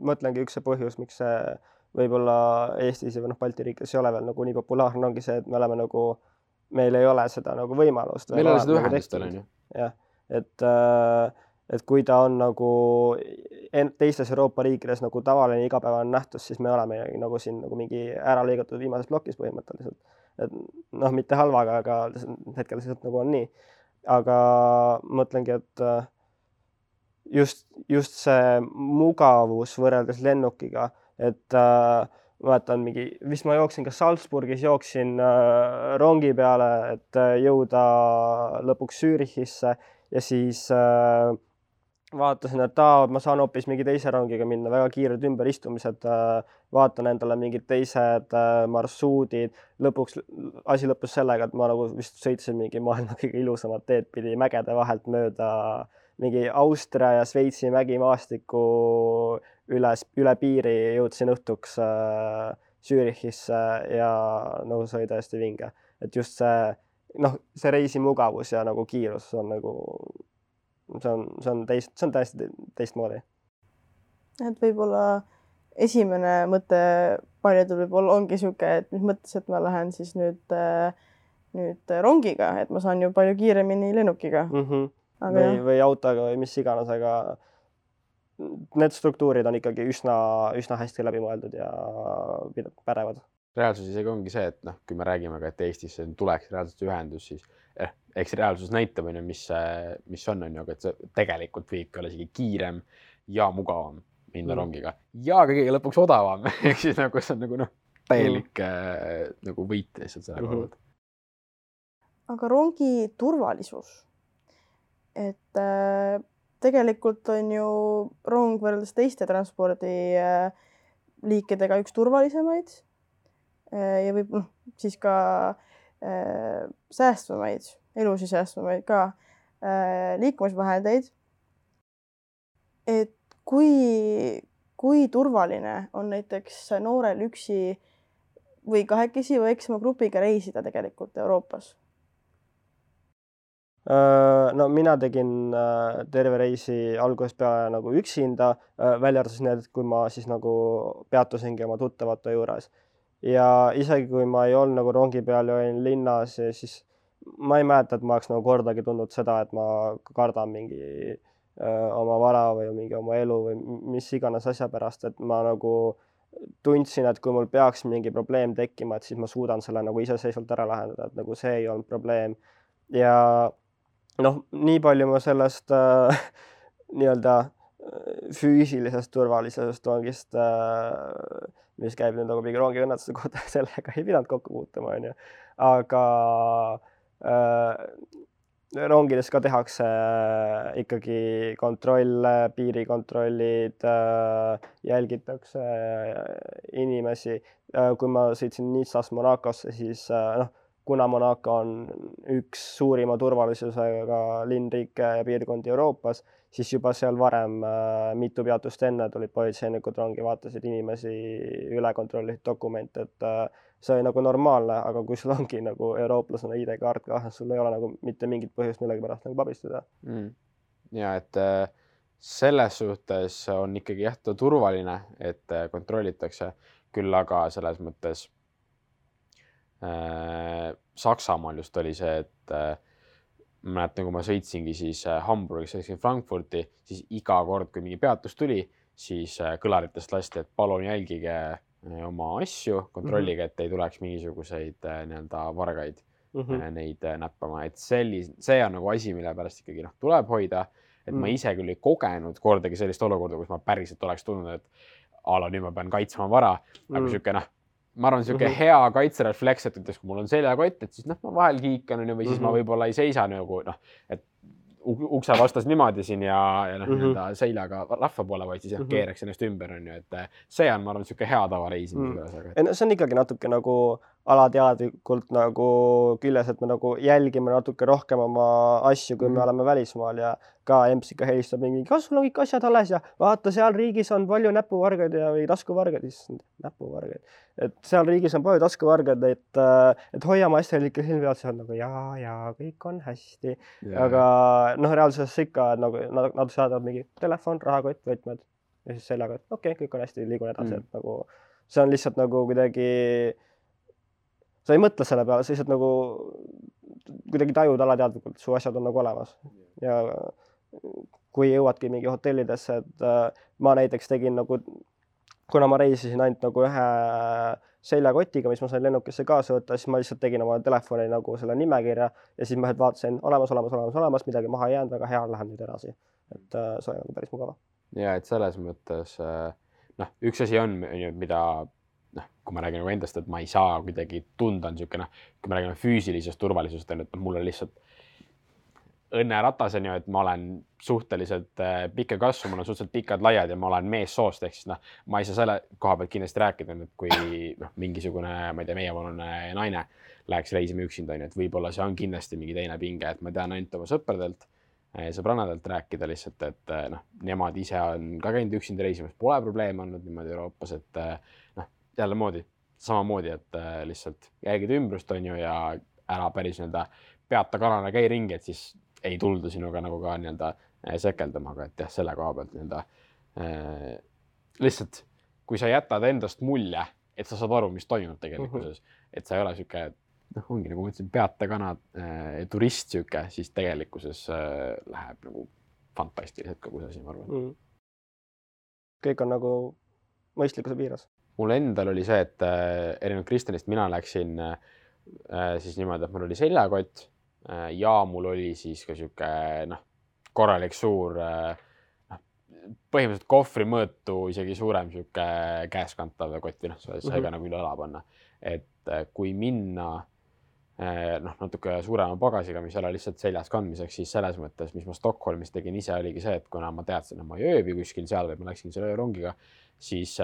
Speaker 3: mõtlengi üks see põhjus, miks see võib-olla Eestis ja Balti riikides ei ole veel nagu nii populaarne, ongi see, et me oleme nagu, meil ei ole seda nagu võimalust.
Speaker 4: Meil ei ole seda ühendustel, on ju.
Speaker 3: Jah, et kui ta on nagu teistes Euroopa riikides nagu tavaline igapäevane nähtus, siis me oleme nagu siin nagu mingi ära lõigatud viimases plokis põhimõtteliselt. Et mitte halvaga, aga hetkel lihtsalt nagu on nii. Aga mõtlengi, et just see mugavus võrreldes lennukiga, et mäletan vist ma jooksin ka Salzburgis, jooksin rongi peale, et jõuda lõpuks Zürichisse ja siis vaatasin, et ma saan hoopis mingi teise rongiga minna, väga kiired ümberistumised, vaatan endale mingid teised marsruudid. Asi lõppus sellega, et ma nagu vist sõitsin mingi maailma kõige ilusamad teed pidi mägede vahelt mööda mingi Austria ja Šveitsi mägimaastiku üle piiri jõudsin õhtuks Zürichisse ja nagu see oli tõesti vinge. Et just see reisi mugavus ja nagu kiirus on nagu see on täiesti teistmoodi.
Speaker 1: Et võib-olla esimene mõte paljudel võib-olla ongi siuke, et mis mõttes, et ma lähen siis nüüd rongiga, et ma saan ju palju kiiremini lennukiga.
Speaker 3: Või autoga või mis iganes, aga need struktuurid on ikkagi üsna hästi läbi mõeldud ja pädevad.
Speaker 4: Reaalsus isegi ongi see, et kui me räägime ka, et Eestis tuleks reaalselt ühendus, siis eks reaalsus näitab, mis on, aga et see tegelikult viibki olla isegi kiirem ja mugavam minna rongiga ja kõige lõpuks odavam. Ehk siis nagu see on nagu täielik nagu võit lihtsalt selle kohalt.
Speaker 1: Aga rongi turvalisus. Et tegelikult on ju rong võrreldes teiste transpordi liikidega üks turvalisemaid ja võib siis ka säästvamaid, elusi säästvamaid ka liikumisvahendeid. Et kui turvaline on näiteks noorel üksi või kahekesi või eksama grupiga reisida tegelikult Euroopas?
Speaker 3: No mina tegin terve reisi algusest peale nagu üksinda, välja arvates need, kui ma siis nagu peatusingi oma tuttavate juures. Ja isegi kui ma ei olnud nagu rongi peal ja olin linnas, siis ma ei mäleta, et ma oleks nagu kordagi tundnud seda, et ma kardan mingi oma vara või mingi oma elu või mis iganes asja pärast, et ma nagu tundsin, et kui mul peaks mingi probleem tekkima, et siis ma suudan selle nagu iseseisvalt ära lahendada, et nagu see ei olnud probleem. Ja nii palju ma sellest nii-öelda füüsilisest turvalisusest rongist, mis käib nüüd nagu mingi rongi õnnetuse kohta, sellega ei pidanud kokku puutuma, on ju. Aga rongides ka tehakse ikkagi kontrolle, piirikontrollid, jälgitakse inimesi. Kui ma sõitsin Nizzast Monacosse, siis kuna Monaco on üks suurima turvalisusega linnriike ja piirkondi Euroopas, siis juba seal varem mitu peatust enne tulid politseinikud rongi, vaatasid inimesi, üle kontrollisid dokumente, et see oli nagu normaalne, aga kui sul ongi nagu eurooplasena ID-kaart ka, sul ei ole nagu mitte mingit põhjust millegi pärast nagu pabistada.
Speaker 4: Ja, et selles suhtes on ikkagi turvaline, et kontrollitakse, küll aga selles mõttes Saksamaal just oli see, et ma mäletan, kui ma sõitsingi siis Hamburgis, sõitsin Frankfurti, siis iga kord, kui mingi peatus tuli, siis kõlaritest lasti, et palun jälgige oma asju, kontrollige, et ei tuleks mingisuguseid nii-öelda vargaid neid näppama. Et see on nagu asi, mille pärast ikkagi tuleb hoida. Et ma ise küll ei kogenud kordagi sellist olukorda, kus ma päriselt oleks tundnud, et nüüd ma pean kaitsma vara. Aga siuke, ma arvan, siuke hea kaitserefleks, et ütleks, kui mul on seljakott, et siis ma vahel kiikan või siis ma võib-olla ei seisa nagu, et ukse vastas niimoodi siin ja seljaga rahva poole, vaid siis keeraks ennast ümber, et see on, ma arvan, siuke hea tava reisimise.
Speaker 3: See on ikkagi natuke nagu alateadlikult nagu küljes, et me nagu jälgime natuke rohkem oma asju, kui me oleme välismaal ja ka EMS ikka helistab mingi, kas sul on kõik asjad alles ja vaata, seal riigis on palju näpuvargaid või taskuvargaid, näpuvargaid. Et seal riigis on palju taskuvargaid, et hoiame asjal ikka silmi peal, see on nagu ja kõik on hästi. Aga reaalsuses ikka nagu nad saadavad mingi telefon, rahakott, võtmed ja siis sellega, et okei, kõik on hästi, liigun edasi, et nagu see on lihtsalt nagu kuidagi sa ei mõtle selle peale, sa lihtsalt nagu kuidagi tajud alateadlikult, su asjad on nagu olemas. Ja kui jõuadki mingi hotellidesse, et ma näiteks tegin nagu, kuna ma reisisin ainult nagu ühe seljakotiga, mis ma sain lennukisse kaasa võtta, siis ma lihtsalt tegin oma telefoni nagu selle nimekirja ja siis ma vaatasin olemas, midagi maha ei jäänud, väga hea, lähen nüüd edasi. Et see on päris mugava.
Speaker 4: Ja, et selles mõttes, üks asi on, mida kui ma räägin endast, et ma ei saa kuidagi tunda on siuke, kui me räägime füüsilisest turvalisusest, et mul on lihtsalt õnneratas on ju, et ma olen suhteliselt pikka kasvu, mul on suhteliselt pikad laiad ja ma olen meessoost, ehk siis ma ei saa selle koha pealt kindlasti rääkida, et kui mingisugune, ma ei tea, meievanune naine läheks reisima üksinda, et võib-olla see on kindlasti mingi teine pinge, et ma tean ainult oma sõbrannadelt rääkida lihtsalt, et nemad ise on ka käinud üksinda reisimas, pole probleeme olnud niimoodi Euroopas, et jälle samamoodi, et lihtsalt jälgid ümbrust on ju ja ära päris peata kanana käi ringi, et siis ei tulda sinuga nagu ka sekeldama, aga et jah, selle koha pealt lihtsalt, kui sa jätad endast mulje, et sa saad aru, mis toimub tegelikkuses, et sa ei ole siuke, ongi nagu ma ütlesin, peata kana turist siuke, siis tegelikkuses läheb nagu fantastiliselt kogu see asi, ma arvan.
Speaker 3: Kõik on nagu mõistlikkuse piiras.
Speaker 4: Mul endal oli see, et erinevalt Kristjanist mina läksin siis niimoodi, et mul oli seljakott ja mul oli siis ka siuke korralik suur põhimõtteliselt kohvri mõõtu isegi suurem siuke käeskantav kott, sai ka nagu üle õla panna. Et kui minna natuke suurema pagasiga, mis ei ole lihtsalt seljas kandmiseks, siis selles mõttes, mis ma Stockholmis tegin ise, oligi see, et kuna ma teadsin, et ma ei ööbi kuskil seal või ma läksin selle öörongiga, siis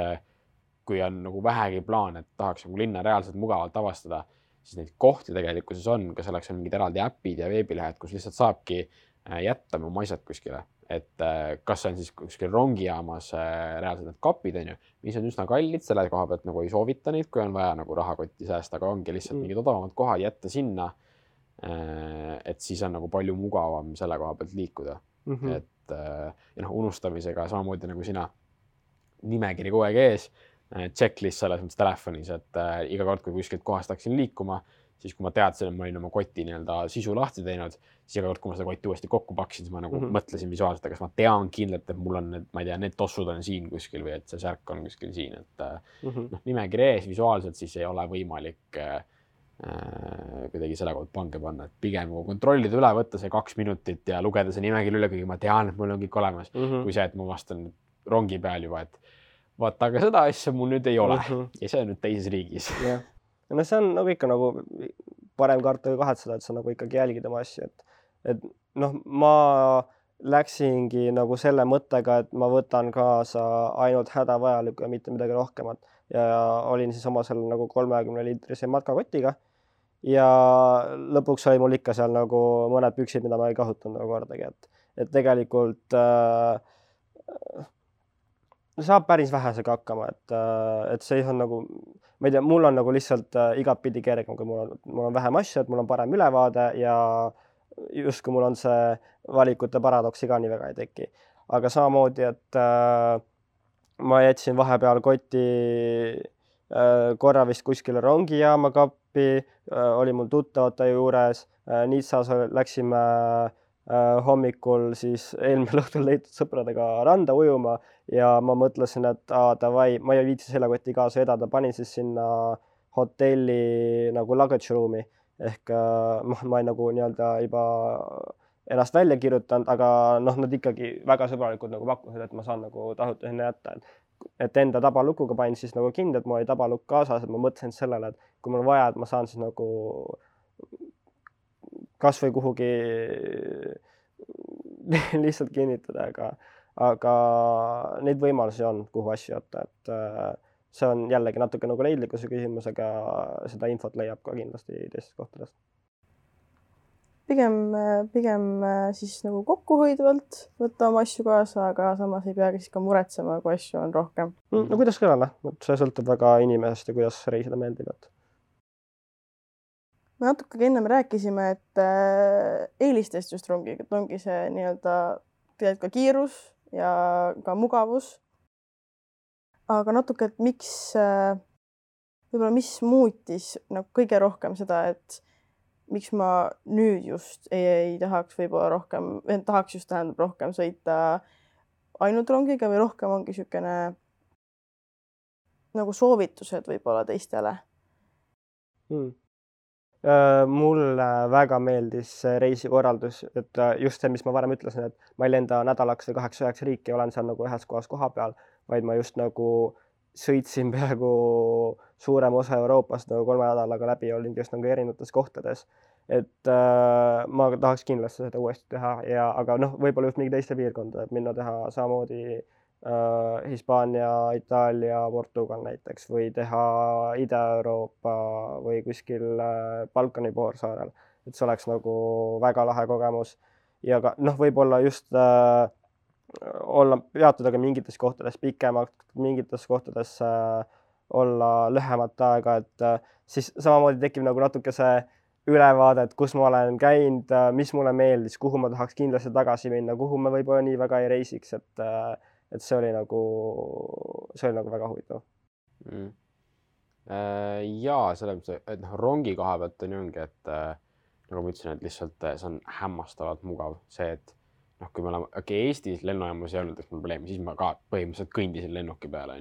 Speaker 4: kui on nagu vähegi plaan, et tahaks nagu linna reaalselt mugavalt avastada, siis neid kohti tegelikkuses on, ka selleks on mingid eraldi äpid ja veebilehed, kus lihtsalt saabki jätta oma asjad kuskile. Et kas see on siis kuskil rongijaamas reaalselt need kapid, mis on üsna kallid, selle koha pealt nagu ei soovita neid, kui on vaja nagu rahakotti säästa, aga ongi lihtsalt mingid odavamad kohad jätta sinna, et siis on nagu palju mugavam selle koha pealt liikuda. Et unustamisega samamoodi nagu sina nimekiri kogu aeg ees, checklist selles mõttes telefonis, et iga kord, kui kuskilt kohast hakkasin liikuma, siis kui ma teadsin, et ma olin oma koti sisu lahti teinud, siis iga kord, kui ma seda kotti uuesti kokku paksin, siis ma nagu mõtlesin visuaalselt, kas ma tean kindlalt, et mul on need, ma ei tea, need tossud on siin kuskil või et see särk on kuskil siin, et nimekiri ees visuaalselt siis ei ole võimalik kuidagi selle kohta pange panna, et pigem kontrollida üle, võtta see 2 minutit ja lugeda see nimekiri üle, kuigi ma tean, et mul on kõik olemas, kui see, et ma vastan rongi peal juba, et vaata, aga seda asja mul nüüd ei ole ja see on nüüd teises riigis.
Speaker 3: No see on nagu ikka nagu parem karta või kahetseda, et sa nagu ikkagi jälgid oma asju, et ma läksingi nagu selle mõttega, et ma võtan kaasa ainult hädavajalikku ja mitte midagi rohkemat ja olin siis oma seal nagu 30-liitrise matkakotiga ja lõpuks oli mul ikka seal nagu mõned püksid, mida ma ei kasutanud nagu kordagi, et tegelikult saab päris vähesega hakkama, et see on nagu, ma ei tea, mul on nagu lihtsalt igatpidi kergem, kui mul on vähem asju, et mul on parem ülevaade ja just kui mul on see valikute paradoksi ka nii väga ei teki. Aga samamoodi, et ma jätsin vahepeal koti korra vist kuskile rongijaama kappi Visby oli mul tuttavate juures, Nizzas läksime hommikul siis eelmine õhtul leitud sõpradega randa ujuma ja ma mõtlesin, et davai, ma ei viitsi seljakoti kaasa edada, panin siis sinna hotelli nagu luggage room'i ehk ma ei nagu nii-öelda juba ennast välja kirjutanud, aga nad ikkagi väga sõbralikud nagu pakkusid, et ma saan nagu tasuta sinna jätta, et enda tabalukuga panin siis nagu kinni, et mul oli tabalukk kaasas, et ma mõtlesin sellele, et kui mul vaja, et ma saan siis nagu kas või kuhugi lihtsalt kinnitada, aga neid võimalusi on, kuhu asju jätta, et see on jällegi natuke nagu leidlikkuse küsimus, aga seda infot leiab ka kindlasti teistest kohtadest.
Speaker 1: Pigem siis nagu kokkuhoidvalt võtta oma asju kaasa, aga samas ei peagi siis ka muretsema, kui asju on rohkem.
Speaker 3: No kuidas kõnele? See sõltub väga inimesest ja kuidas reisida meeldib.
Speaker 1: Me natuke ennem rääkisime, et eelistest just rongiga, et ongi see nii-öelda tegelikult ka kiirus ja ka mugavus. Aga natuke, et võib-olla mis muutis nagu kõige rohkem seda, et miks ma nüüd just ei tahaks võib-olla rohkem, tahaks just tähendab rohkem sõita ainult rongiga või rohkem ongi niisugune nagu soovitused võib-olla teistele?
Speaker 3: Mulle väga meeldis reisikorraldus, et just see, mis ma varem ütlesin, et ma ei lenda nädalaks või 8-9 riiki, olen seal nagu ühes kohas koha peal, vaid ma just nagu sõitsin peaaegu suurem osa Euroopast nagu 3 nädalaga läbi, olin just nagu erinevates kohtades. Et ma tahaks kindlasti seda uuesti teha, aga võib-olla just mingi teiste piirkonda, et minna teha samamoodi Hispaania, Itaalia, Portugal näiteks või teha Ida-Euroopa või kuskil Balkani poolsaarel, et see oleks nagu väga lahe kogemus ja ka võib-olla just olla peatuda ka mingites kohtades pikemalt, mingites kohtades olla lühemat aega, et siis samamoodi tekib nagu natuke see ülevaade, et kus ma olen käinud, mis mulle meeldis, kuhu ma tahaks kindlasti tagasi minna, kuhu ma võib-olla nii väga ei reisiks, et see oli nagu väga huvitav.
Speaker 4: Jaa, selles, et rongi koha pealt on ongi, et nagu ma ütlesin, et lihtsalt see on hämmastavalt mugav. See, et kui me oleme, Eestis lennujaamas ei olnud probleemi, siis ma ka põhimõtteliselt kõndisin lennuki peale,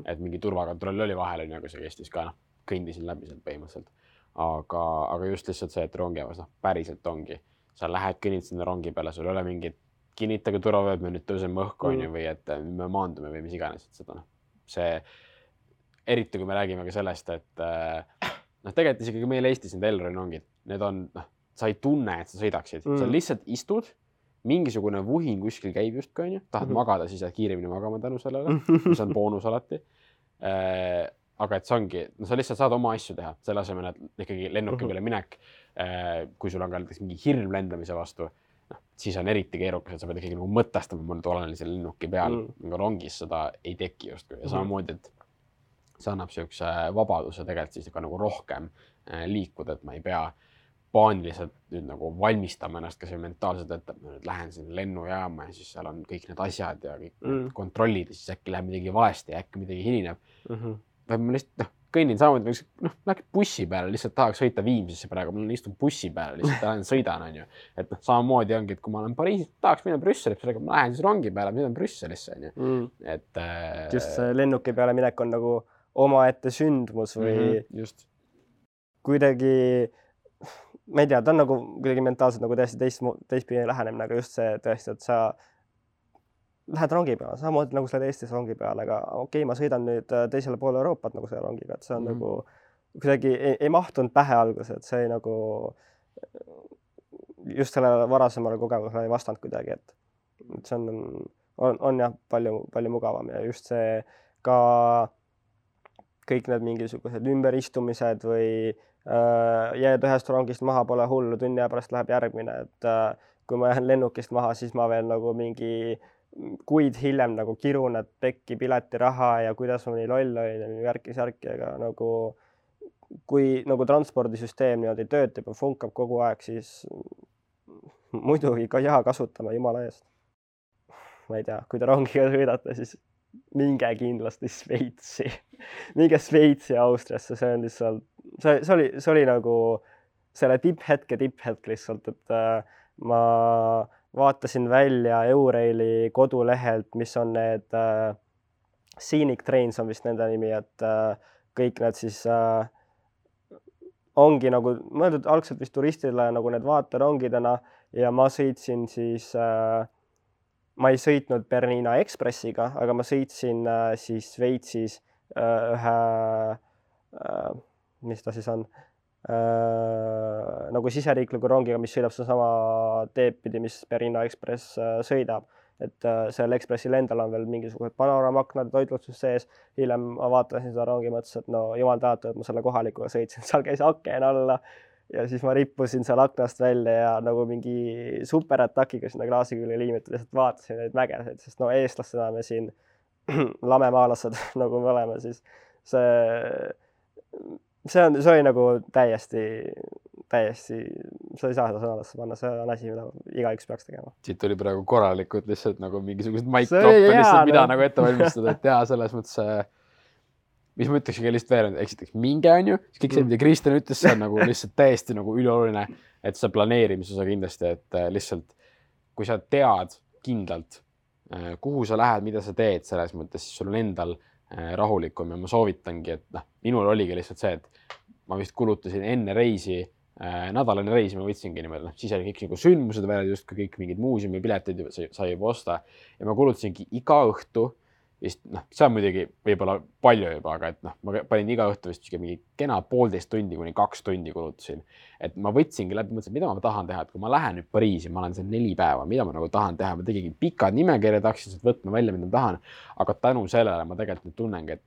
Speaker 4: et mingi turvakontroll oli vahel, aga see kestis ka, kõndisin läbi sealt põhimõtteliselt. Aga just lihtsalt see, et rongijaamas päriselt ongi. Sa lähed kõnnid sinna rongi peale, sul ei ole mingit kinnitage turvavööd, me nüüd tõuseme õhku või et me maandume või mis iganes, et seda see, eriti kui me räägime ka sellest, et tegelikult isegi meil Eestis need Elroni rongid, need on, sa ei tunne, et sa sõidaksid, sa lihtsalt istud, mingisugune vuhin kuskil käib just, tahad magada, siis jääd kiiremini magama tänu sellele, mis on boonus alati. Aga et see ongi, sa lihtsalt saad oma asju teha, selle asemel, et ikkagi lennuki peale minek, kui sul on ka mingi hirm lendamise vastu, siis on eriti keerukas, et sa pead ikkagi nagu mõtestama, ma nüüd olen seal lennuki peal, aga rongis seda ei teki justkui. Ja samamoodi, et see annab sellise vabaduse tegelikult siis nagu rohkem liikuda, et ma ei pea paaniliselt nüüd nagu valmistama ennast ka see mentaalselt, et ma nüüd lähen sinna lennujaama ja siis seal on kõik need asjad ja kõik kontrollid ja siis äkki läheb midagi valesti ja äkki midagi hilineb. Või ma lihtsalt kõnnin samamoodi, läheks bussi peale, lihtsalt tahaks sõita Viimsisse praegu, ma istun bussi peale, lihtsalt lähen sõidan, on ju. Et samamoodi ongi, et kui ma olen Pariisis, tahaks minna Brüsselisse, ma lähen siis rongi peale, minna Brüsselisse, on ju. Et
Speaker 3: just see lennuki peale minek on nagu omaette sündmus või kuidagi, ma ei tea, ta on nagu kuidagi mentaalselt nagu täiesti teistpidi lähenemine, aga just see tõesti, et sa lähed rongi peale, samamoodi nagu sa oled Eestis rongi peale, aga okei, ma sõidan nüüd teisele poole Euroopat nagu selle rongiga, et see on nagu kuidagi ei mahtunud pähe alguses, et see ei nagu just sellele varasemale kogemusele ei vastanud kuidagi, et see on jah palju mugavam ja just see ka kõik need mingisugused ümberistumised või jääd ühest rongist maha, pole hullu, tunni aja pärast läheb järgmine, et kui ma jään lennukist maha, siis ma veel nagu mingi kuid hiljem nagu kirun, et pekki piletiraha ja kuidas ma nii loll olin ja värki-särki, aga nagu kui nagu transpordisüsteem niimoodi töötab ja funkab kogu aeg, siis muidugi ka jaa kasutama jumala eest. Ma ei tea, kui te rongiga sõidate, siis minge kindlasti Šveitsi. Minge Šveitsi ja Austriasse, see on lihtsalt see oli nagu selle tipphetk lihtsalt, et ma vaatasin välja Euraili kodulehelt, mis on need Scenic Trains on vist nende nimi, et kõik need siis ongi nagu mõeldud algselt vist turistile nagu need vaaterongidena ja ma sõitsin siis ma ei sõitnud Bernina Expressiga, aga ma sõitsin siis Šveitsis ühe, mis ta siis on, nagu siseriikliku rongiga, mis sõidab sama teed pidi, mis Bernina Express sõidab. Et seal Expressil endal on veel mingisugused panoraamaknad toitlustus sees. Hiljem ma vaatasin seda rongi, mõtlesin, et no jumal tänatud, et ma selle kohalikuga sõitsin, seal käis aken alla. Ja siis ma rippusin seal aknast välja ja nagu mingi superatakiga sinna klaasi külge liimitud, lihtsalt vaatasin neid mägesid, sest no eestlastena me siin lamemaalased nagu me oleme, siis see oli nagu täiesti, sa ei saa seda sõnadesse panna, see on asi, mida igaüks peaks tegema.
Speaker 4: Siit oli praegu korralikult lihtsalt nagu mingisugused mic-droppe lihtsalt, mida nagu ette valmistada, et selles mõttes mis ma ütlekski lihtsalt veel, eksiteks minge on ju, siis kõik see, mida Kristjan ütles, see on nagu lihtsalt täiesti nagu ülioluline, et see planeerimise osa kindlasti, et lihtsalt kui sa tead kindlalt, kuhu sa lähed, mida sa teed selles mõttes, siis sul on endal rahulikum ja ma soovitangi, et minul oligi lihtsalt see, et ma vist kulutasin enne reisi, nädalane reisi ma võtsingi niimoodi, siis oli kõik nagu sündmused välja, just kõik mingid muuseumi piletid sai juba osta ja ma kulutasingi iga õhtu vist, see on muidugi võib-olla palju juba, aga et ma panin iga õhtu vist mingi kena 1,5 tundi kuni 2 tundi kulutasin. Et ma võtsingi läbi, mõtlesin, mida ma tahan teha, et kui ma lähen nüüd Pariisi, ma olen seal 4 päeva, mida ma nagu tahan teha, ma tegin pikad nimekirjad, tahaksin võtma välja, mida ma tahan, aga tänu sellele ma tegelikult nüüd tunnengi, et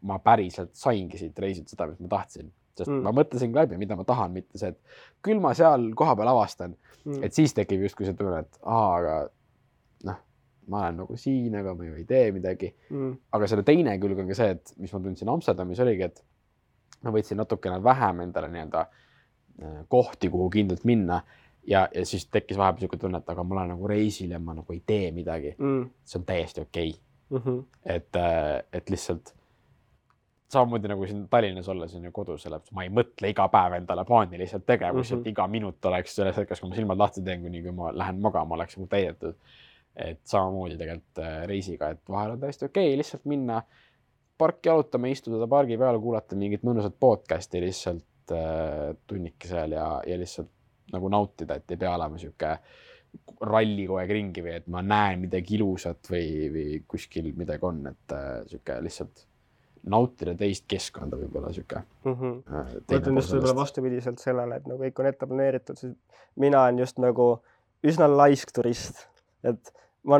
Speaker 4: ma päriselt saingi siit reisilt seda, mis ma tahtsin. Sest ma mõtlesin läbi, mida ma tahan, mitte see, et küll ma seal koha peal avastan, et siis tekib justkui see tunne, et aga ma olen nagu siin, aga ma ju ei tee midagi. Aga selle teine külg on ka see, et mis ma tundsin Amsterdamis oligi, et ma võtsin natukene vähem endale nii-öelda kohti, kuhu kindlalt minna ja siis tekkis vahepeal siuke tunne, et aga ma olen nagu reisil ja ma nagu ei tee midagi. See on täiesti okei. Et lihtsalt samamoodi nagu siin Tallinnas olla siin kodus, ma ei mõtle iga päev endale plaaniliselt tegevus, et iga minut oleks selles hetkes, kui ma silmad lahti teen, kuni kui ma lähen magama, oleks nagu täidetud. Et samamoodi tegelikult reisiga, et vahel on täiesti okei lihtsalt minna parki jalutama, istuda pargi peal, kuulata mingit mõnusat podcasti lihtsalt tunnike seal ja lihtsalt nagu nautida, et ei pea olema siuke ralli kogu aeg ringi või et ma näen midagi ilusat või kuskil midagi on, et siuke lihtsalt nautida teist keskkonda võib-olla siuke.
Speaker 3: Ma ütlen just võib-olla vastupidiselt sellele, et nagu kõik on ette planeeritud, siis mina olen just nagu üsna laisk turist. Et ma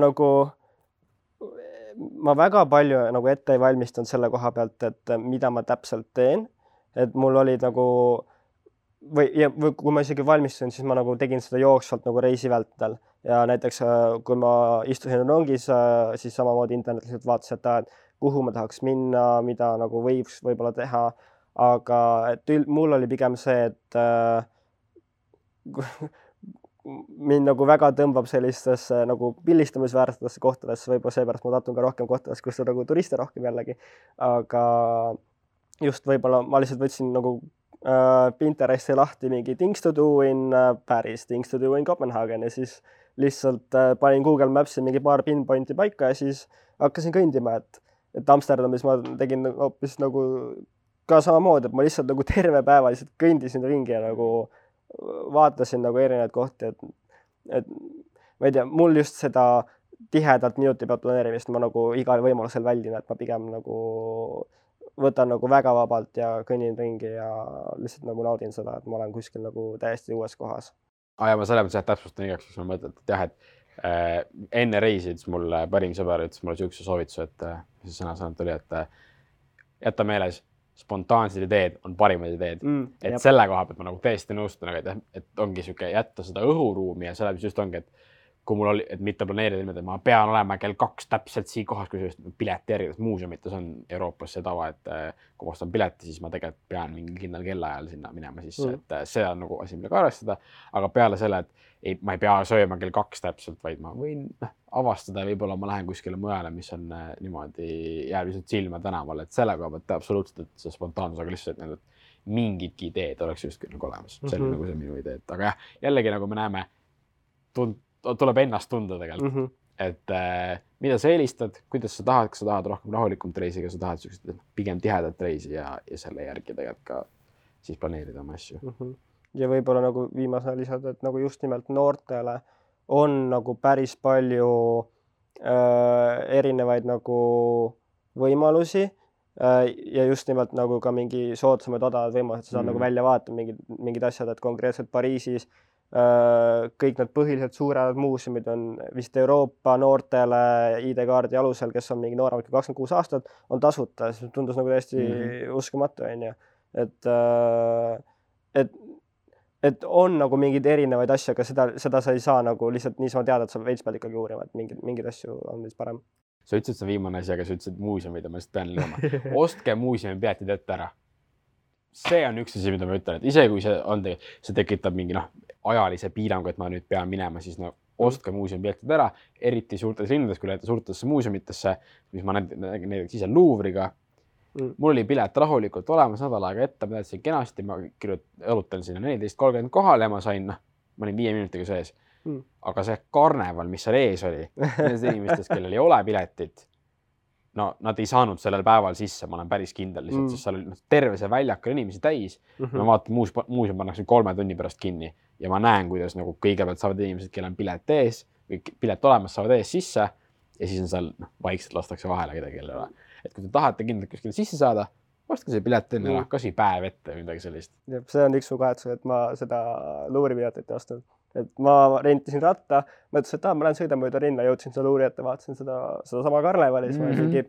Speaker 3: väga palju nagu ette ei valmistanud selle koha pealt, et mida ma täpselt teen. Et mul oli nagu, või kui ma isegi valmistusin, siis ma nagu tegin seda jooksvalt nagu reisi vältel. Ja näiteks kui ma istusin rongis, siis samamoodi internetiliselt vaatasin, et kuhu ma tahaks minna, mida nagu võiks võib-olla teha. Aga et mul oli pigem see, et mind nagu väga tõmbab sellistesse nagu pillistamisväärsetesse kohtadesse, võib-olla seepärast ma tatun ka rohkem kohtadesse, kus on nagu turiste rohkem jällegi, aga just võib-olla ma lihtsalt võtsin nagu Pinteresti lahti mingi things to do in Paris, things to do in Copenhagen ja siis lihtsalt panin Google Maps'i mingi paar pinpointi paika ja siis hakkasin kõndima, et Amsterdamis ma tegin hoopis nagu ka samamoodi, et ma lihtsalt nagu terve päeva lihtsalt kõndisin ringi ja nagu vaatasin nagu erinevaid kohti, et ma ei tea, mul just seda tihedalt minuti pealt planeerimist ma nagu igal võimalusel väldin, et ma pigem nagu võtan nagu väga vabalt ja kõnnin ringi ja lihtsalt nagu naudin seda, et ma olen kuskil nagu täiesti uues kohas.
Speaker 4: Ja ma selle mõttes täpsustan igaks, kus ma mõtlen, et jah, et enne reisid mulle parim sõber ütles mulle siukse soovituse, et mis sõna-sõnalt oli, et jätta meeles, spontaansed ideed on parimad ideed. Et selle koha pealt ma nagu täiesti nõustun, et ongi siuke jätta seda õhuruumi ja selle just ongi, et kui mul oli, et mitte planeerida niimoodi, et ma pean olema kell 2 täpselt siin kohas, kui just pileti järgi, muuseumites on Euroopas see tava, et kui ma ostan pileti, siis ma tegelikult pean mingi kindlal kellaajal sinna minema sisse, et see on nagu asi, millega arvestada, aga peale selle, et ma ei pea sööma kell 2 täpselt, vaid ma võin avastada ja võib-olla ma lähen kuskile mujale, mis on niimoodi jääb lihtsalt silma tänaval, et selle koha pealt absoluutselt, et see spontaansus, aga lihtsalt need mingidki ideed oleks justkui nagu olemas. See oli nagu see minu idee, aga jah, jällegi nagu me näeme, tuleb ennast tunda tegelikult, et mida sa eelistad, kuidas sa tahad, kas sa tahad rohkem rahulikumt reisi, kas sa tahad sellised pigem tihedat reisi ja selle järgi tegelikult ka siis planeerida oma asju.
Speaker 3: Ja võib-olla nagu viimasena lisada, et nagu just nimelt noortele on nagu päris palju erinevaid nagu võimalusi ja just nimelt nagu ka mingi soodsamad odavad võimalused, sa saad nagu välja vaata mingid asjad, et konkreetselt Pariisis kõik need põhiliselt suured muuseumid on vist Euroopa noortele ID-kaardi alusel, kes on mingi nooremad kui 26 aastat, on tasuta. See tundus nagu täiesti uskumatu, on ju. Et on nagu mingid erinevaid asju, aga seda sa ei saa nagu lihtsalt niisama teada, et sa veits pead ikkagi uurima, et mingid asju on vist parem.
Speaker 4: Sa ütlesid see viimane asi, aga sa ütlesid muuseumid ja ma just pean lõima. Ostke muuseumi piletid ette ära. See on üks asi, mida ma ütlen, et ise kui see tekitab mingi ajalise piirangu, et ma nüüd pean minema, siis ostke muuseumi piletid ära, eriti suurtes linnades, kui lähete suurtesse muuseumitesse, mis ma näiteks ise Louvre'iga. Mul oli pilet rahulikult olemas nädal aega ette, ma teadsin kenasti, ma õlutan sinna 14.30 kohale ja ma olin 5 minutiga sees. Aga see karneval, mis seal ees oli, nendest inimestest, kellel ei ole piletit, nad ei saanud sellel päeval sisse, ma olen päris kindel lihtsalt, sest seal oli terve see väljak inimesi täis. Ma vaatan, muuseum pannakse 3 tunni pärast kinni ja ma näen, kuidas nagu kõigepealt saavad inimesed, kellel on pilet ees või pilet olemas, saavad ees sisse ja siis on seal vaikselt lastakse vahele kedagi, kellel ei ole. Et kui te tahate kindlalt kuskile sisse saada, ostke see pilet enne ära, kas või päev ette või midagi sellist.
Speaker 3: See on üks mu kahetsus, et ma seda Louvre'i piletit ei ostnud. Et ma rentisin ratta, mõtlesin, et ma lähen sõidan mööda rinna, jõudsin seda Louvre'i ette, vaatasin seda sama karnevalis, ma mingi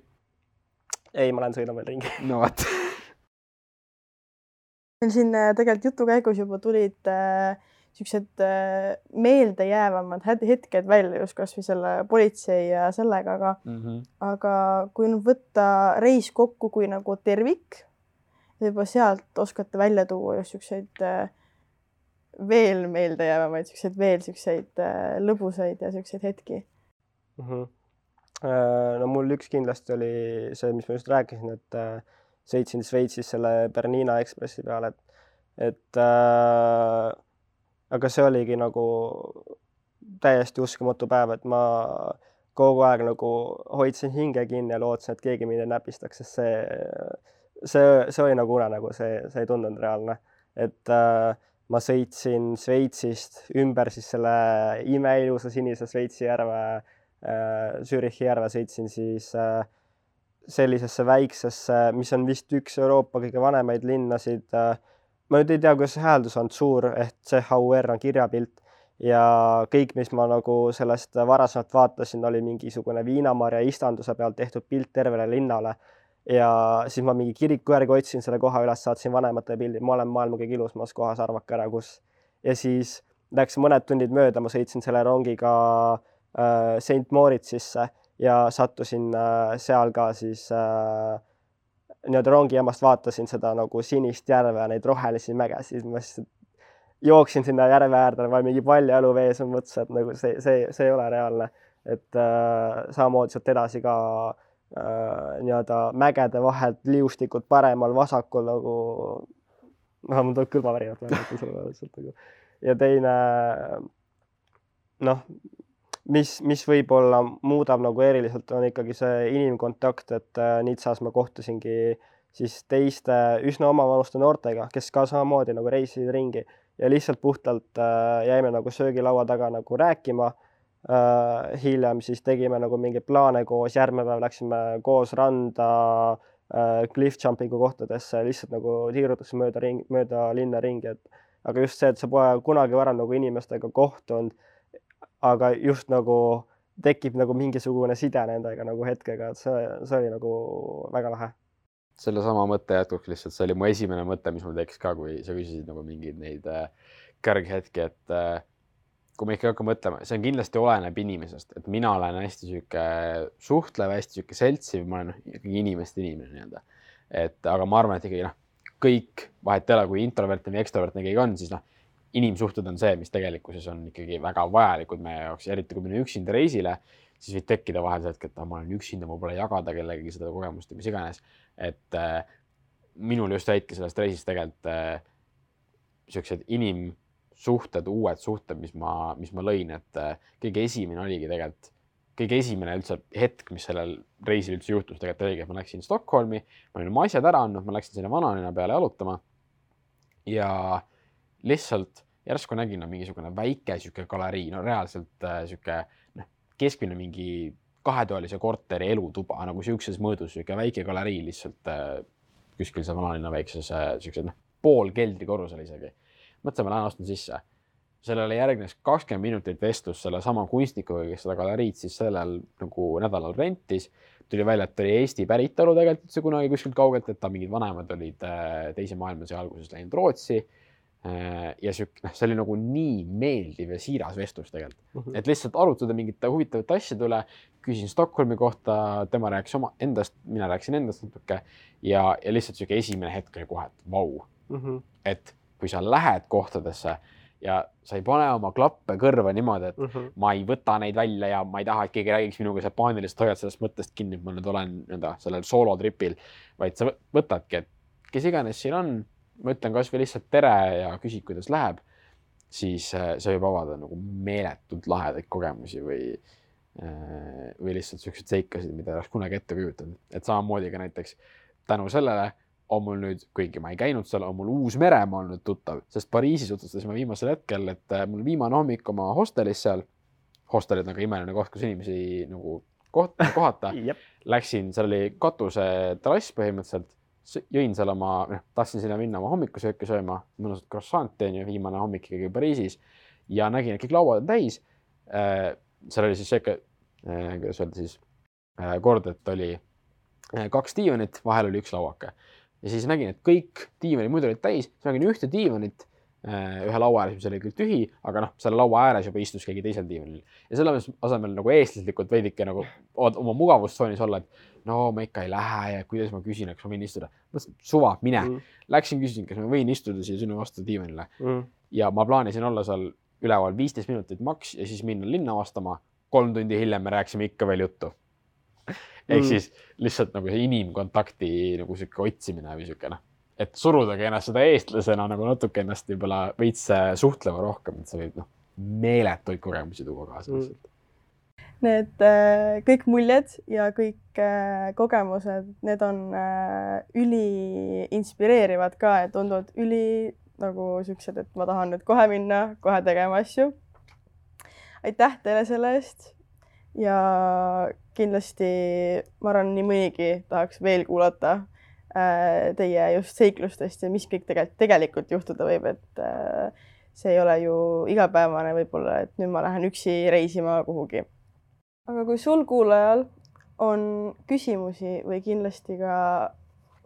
Speaker 3: ei, ma lähen sõidan veel ringi.
Speaker 4: No vaat.
Speaker 1: Meil siin tegelikult jutu käigus juba tulid sellised meeldejäävamad hetked välja just kas või selle politsei ja sellega, aga kui nüüd võtta reis kokku kui nagu tervik, juba sealt oskate välja tuua just selliseid veel meeldejäävamaid, selliseid lõbusaid ja selliseid hetki.
Speaker 3: No mul üks kindlasti oli see, mis ma just rääkisin, et sõitsin Šveitsis selle Bernina Ekspressi peale, et aga see oligi nagu täiesti uskumatu päev, et ma kogu aeg nagu hoidsin hinge kinni ja lootsin, et keegi mind ei näpistaks, sest see oli nagu unenägu, see ei tundunud reaalne, et ma sõitsin Šveitsist ümber siis selle imeilusa sinise Šveitsi järve, Zürichi järve sõitsin siis sellisesse väiksesse, mis on vist üks Euroopa kõige vanemaid linnasid. Ma nüüd ei tea, kuidas see hääldus on suur, ehk CHUR on kirjapilt ja kõik, mis ma nagu sellest varasemalt vaatasin, oli mingisugune Viinamarja istanduse pealt tehtud pilt tervele linnale ja siis ma mingi kiriku järgi otsin selle koha üles, saatsin vanemate pildi, ma olen maailma kõige ilusmas kohas, arvake ära, kus. Ja siis läks mõned tunnid mööda, ma sõitsin selle rongiga St. Moritzisse ja sattusin seal ka siis nii-öelda rongijaamast vaatasin seda nagu sinist järve ja neid rohelisi mägesid. Ma siis jooksin sinna järve äärde, ma mingi palju elu vees on mõttes, et nagu see ei ole reaalne. Et samamoodi sealt edasi ka nii-öelda mägede vahelt liustikud paremal, vasakul nagu mul tuleb kõlmavärinat. Ja teine mis võib-olla muudab nagu eriliselt on ikkagi see inimkontakt, et Nizzas ma kohtusingi siis teiste üsna omavanuste noortega, kes ka samamoodi nagu reisisid ringi ja lihtsalt puhtalt jäime nagu söögilaua taga nagu rääkima. Hiljem siis tegime nagu mingeid plaane koos, järgmine päev läksime koos randa cliff jumpingu kohtadesse, lihtsalt nagu tiirutasse mööda linna ringi. Aga just see, et sa pole kunagi varem nagu inimestega kohtunud, aga just nagu tekib nagu mingisugune side nendega nagu hetkega, et see oli nagu väga lahe.
Speaker 4: Selle sama mõtte jätkuks lihtsalt, see oli mu esimene mõte, mis mul tekkis ka, kui sa küsisid nagu mingeid neid kõrghetki, et kui me ikka hakkame mõtlema, see on kindlasti oleneb inimesest, et mina olen hästi sihuke suhtlev, hästi sihuke seltsiv, ma olen ikkagi inimeste inimene nii-öelda. Et aga ma arvan, et ikkagi kõik vahet ei ole, kui introvertne või ekstravertne keegi on, siis inimsuhted on see, mis tegelikkuses on ikkagi väga vajalikud meie jaoks, eriti kui minna üksinda reisile, siis võib tekkida vahel see hetk, et ma olen üksinda, ma pole jagada kellegi seda kogemust ja mis iganes. Et minul just jäidki sellest reisist tegelikult siuksed inimsuhted, uued suhted, mis ma lõin, et kõige esimene oligi tegelikult, kõige esimene üldse hetk, mis sellel reisil üldse juhtus, tegelikult oligi, et ma läksin Stockholmi, ma olin oma asjad ära andnud, ma läksin sinna vanalinna peale jalutama ja lihtsalt järsku nägin mingisugune väike siuke galerii, no reaalselt siuke keskmine mingi 2-toalise korteri elutuba, nagu siukses mõõdus, siuke väike galerii lihtsalt kuskil see vanalinna väikses siuksed pool keldrikorrusel isegi. Mõtlesin, ma lähen astun sisse. Sellele järgnes 20 minutit vestlus selle sama kunstnikuga, kes seda galeriid siis sellel nagu nädalal rentis. Tuli välja, et oli Eesti päritolu tegelikult üldse kunagi kuskilt kaugelt, et ta mingid vanemad olid teise maailmasõja alguses läinud Rootsi. Ja see oli nagu nii meeldiv ja siiras vestlus tegelikult. Et lihtsalt arutada mingite huvitavate asjade üle, küsin Stockholmi kohta, tema rääkis oma endast, mina rääkisin endast natuke ja lihtsalt siuke esimene hetk oli kohe, et vau. Et kui sa lähed kohtadesse ja sa ei pane oma klappe kõrva niimoodi, et ma ei võta neid välja ja ma ei taha, et keegi räägiks minuga see paanilist hoiad sellest mõttest kinni, et ma nüüd olen sellel soolotripil, vaid sa võtadki, et kes iganes siin on, ma ütlen kas või lihtsalt tere ja küsid, kuidas läheb, siis see võib avada nagu meeletult lahedaid kogemusi või lihtsalt siuksed seikasid, mida oleks kunagi ette kujutanud. Et samamoodi ka näiteks tänu sellele on mul nüüd, kuigi ma ei käinud seal, on mul Uus-Meremaa olnud tuttav, sest Pariisis otsustasime viimasel hetkel, et mul viimane hommik oma hostelis seal, hostelid nagu imeline koht, kus inimesi nagu kohata, läksin, seal oli katuse terrass põhimõtteliselt, jõin seal oma, tahtsin sinna minna oma hommikusööki sööma, mõnusat croissanti on ju viimane hommik ikkagi Pariisis ja nägin, et kõik lauad on täis. Seal oli siis sööke, kuidas öelda siis, kord, et oli 2 diivanit, vahel oli 1 lauake. Ja siis nägin, et kõik diivanid muidu olid täis, siis nägin ühte diivanit, ühe laua ääres, mis oli küll tühi, aga selle laua ääres juba istus keegi teisel diivanil. Ja selle asemel nagu eestlaslikult veidike nagu oma mugavustsoonis olla, et no ma ikka ei lähe ja kuidas ma küsin, kas ma võin istuda. Mõtlesin, suva, mine. Läksin küsin, kas ma võin istuda siia sinu vastu diivanile. Ja ma plaanisin olla seal üleval 15 minutit maks ja siis minna linna vastama. 3 tundi hiljem me rääksime ikka veel juttu. Ehk siis lihtsalt nagu see inimkontakti nagu siuke otsimine või siuke, et surudagi ennast seda eestlasena nagu natuke ennast võib-olla veits suhtlema rohkem, et see võib meeletuid kogemusi tuua kaasa.
Speaker 1: Need kõik muljed ja kõik kogemused, need on üli inspireerivad ka, et tunduvad üli nagu siuksed, et ma tahan nüüd kohe minna, kohe tegema asju. Aitäh teile selle eest ja kindlasti ma arvan, nii mõnigi tahaks veel kuulata teie just seiklustest ja mis kõik tegelikult juhtuda võib, et see ei ole ju igapäevane võib-olla, et nüüd ma lähen üksi reisima kuhugi. Aga kui sul kuulajal on küsimusi või kindlasti ka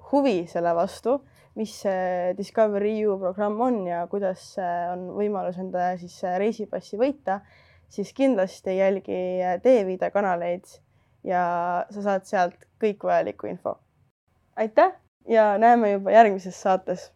Speaker 1: huvi selle vastu, mis see Discover EU programm on ja kuidas on võimalus enda siis reisipassi võita, siis kindlasti jälgi D-Vida kanaleid ja sa saad sealt kõik vajalikku info. Aitäh ja näeme juba järgmises saates!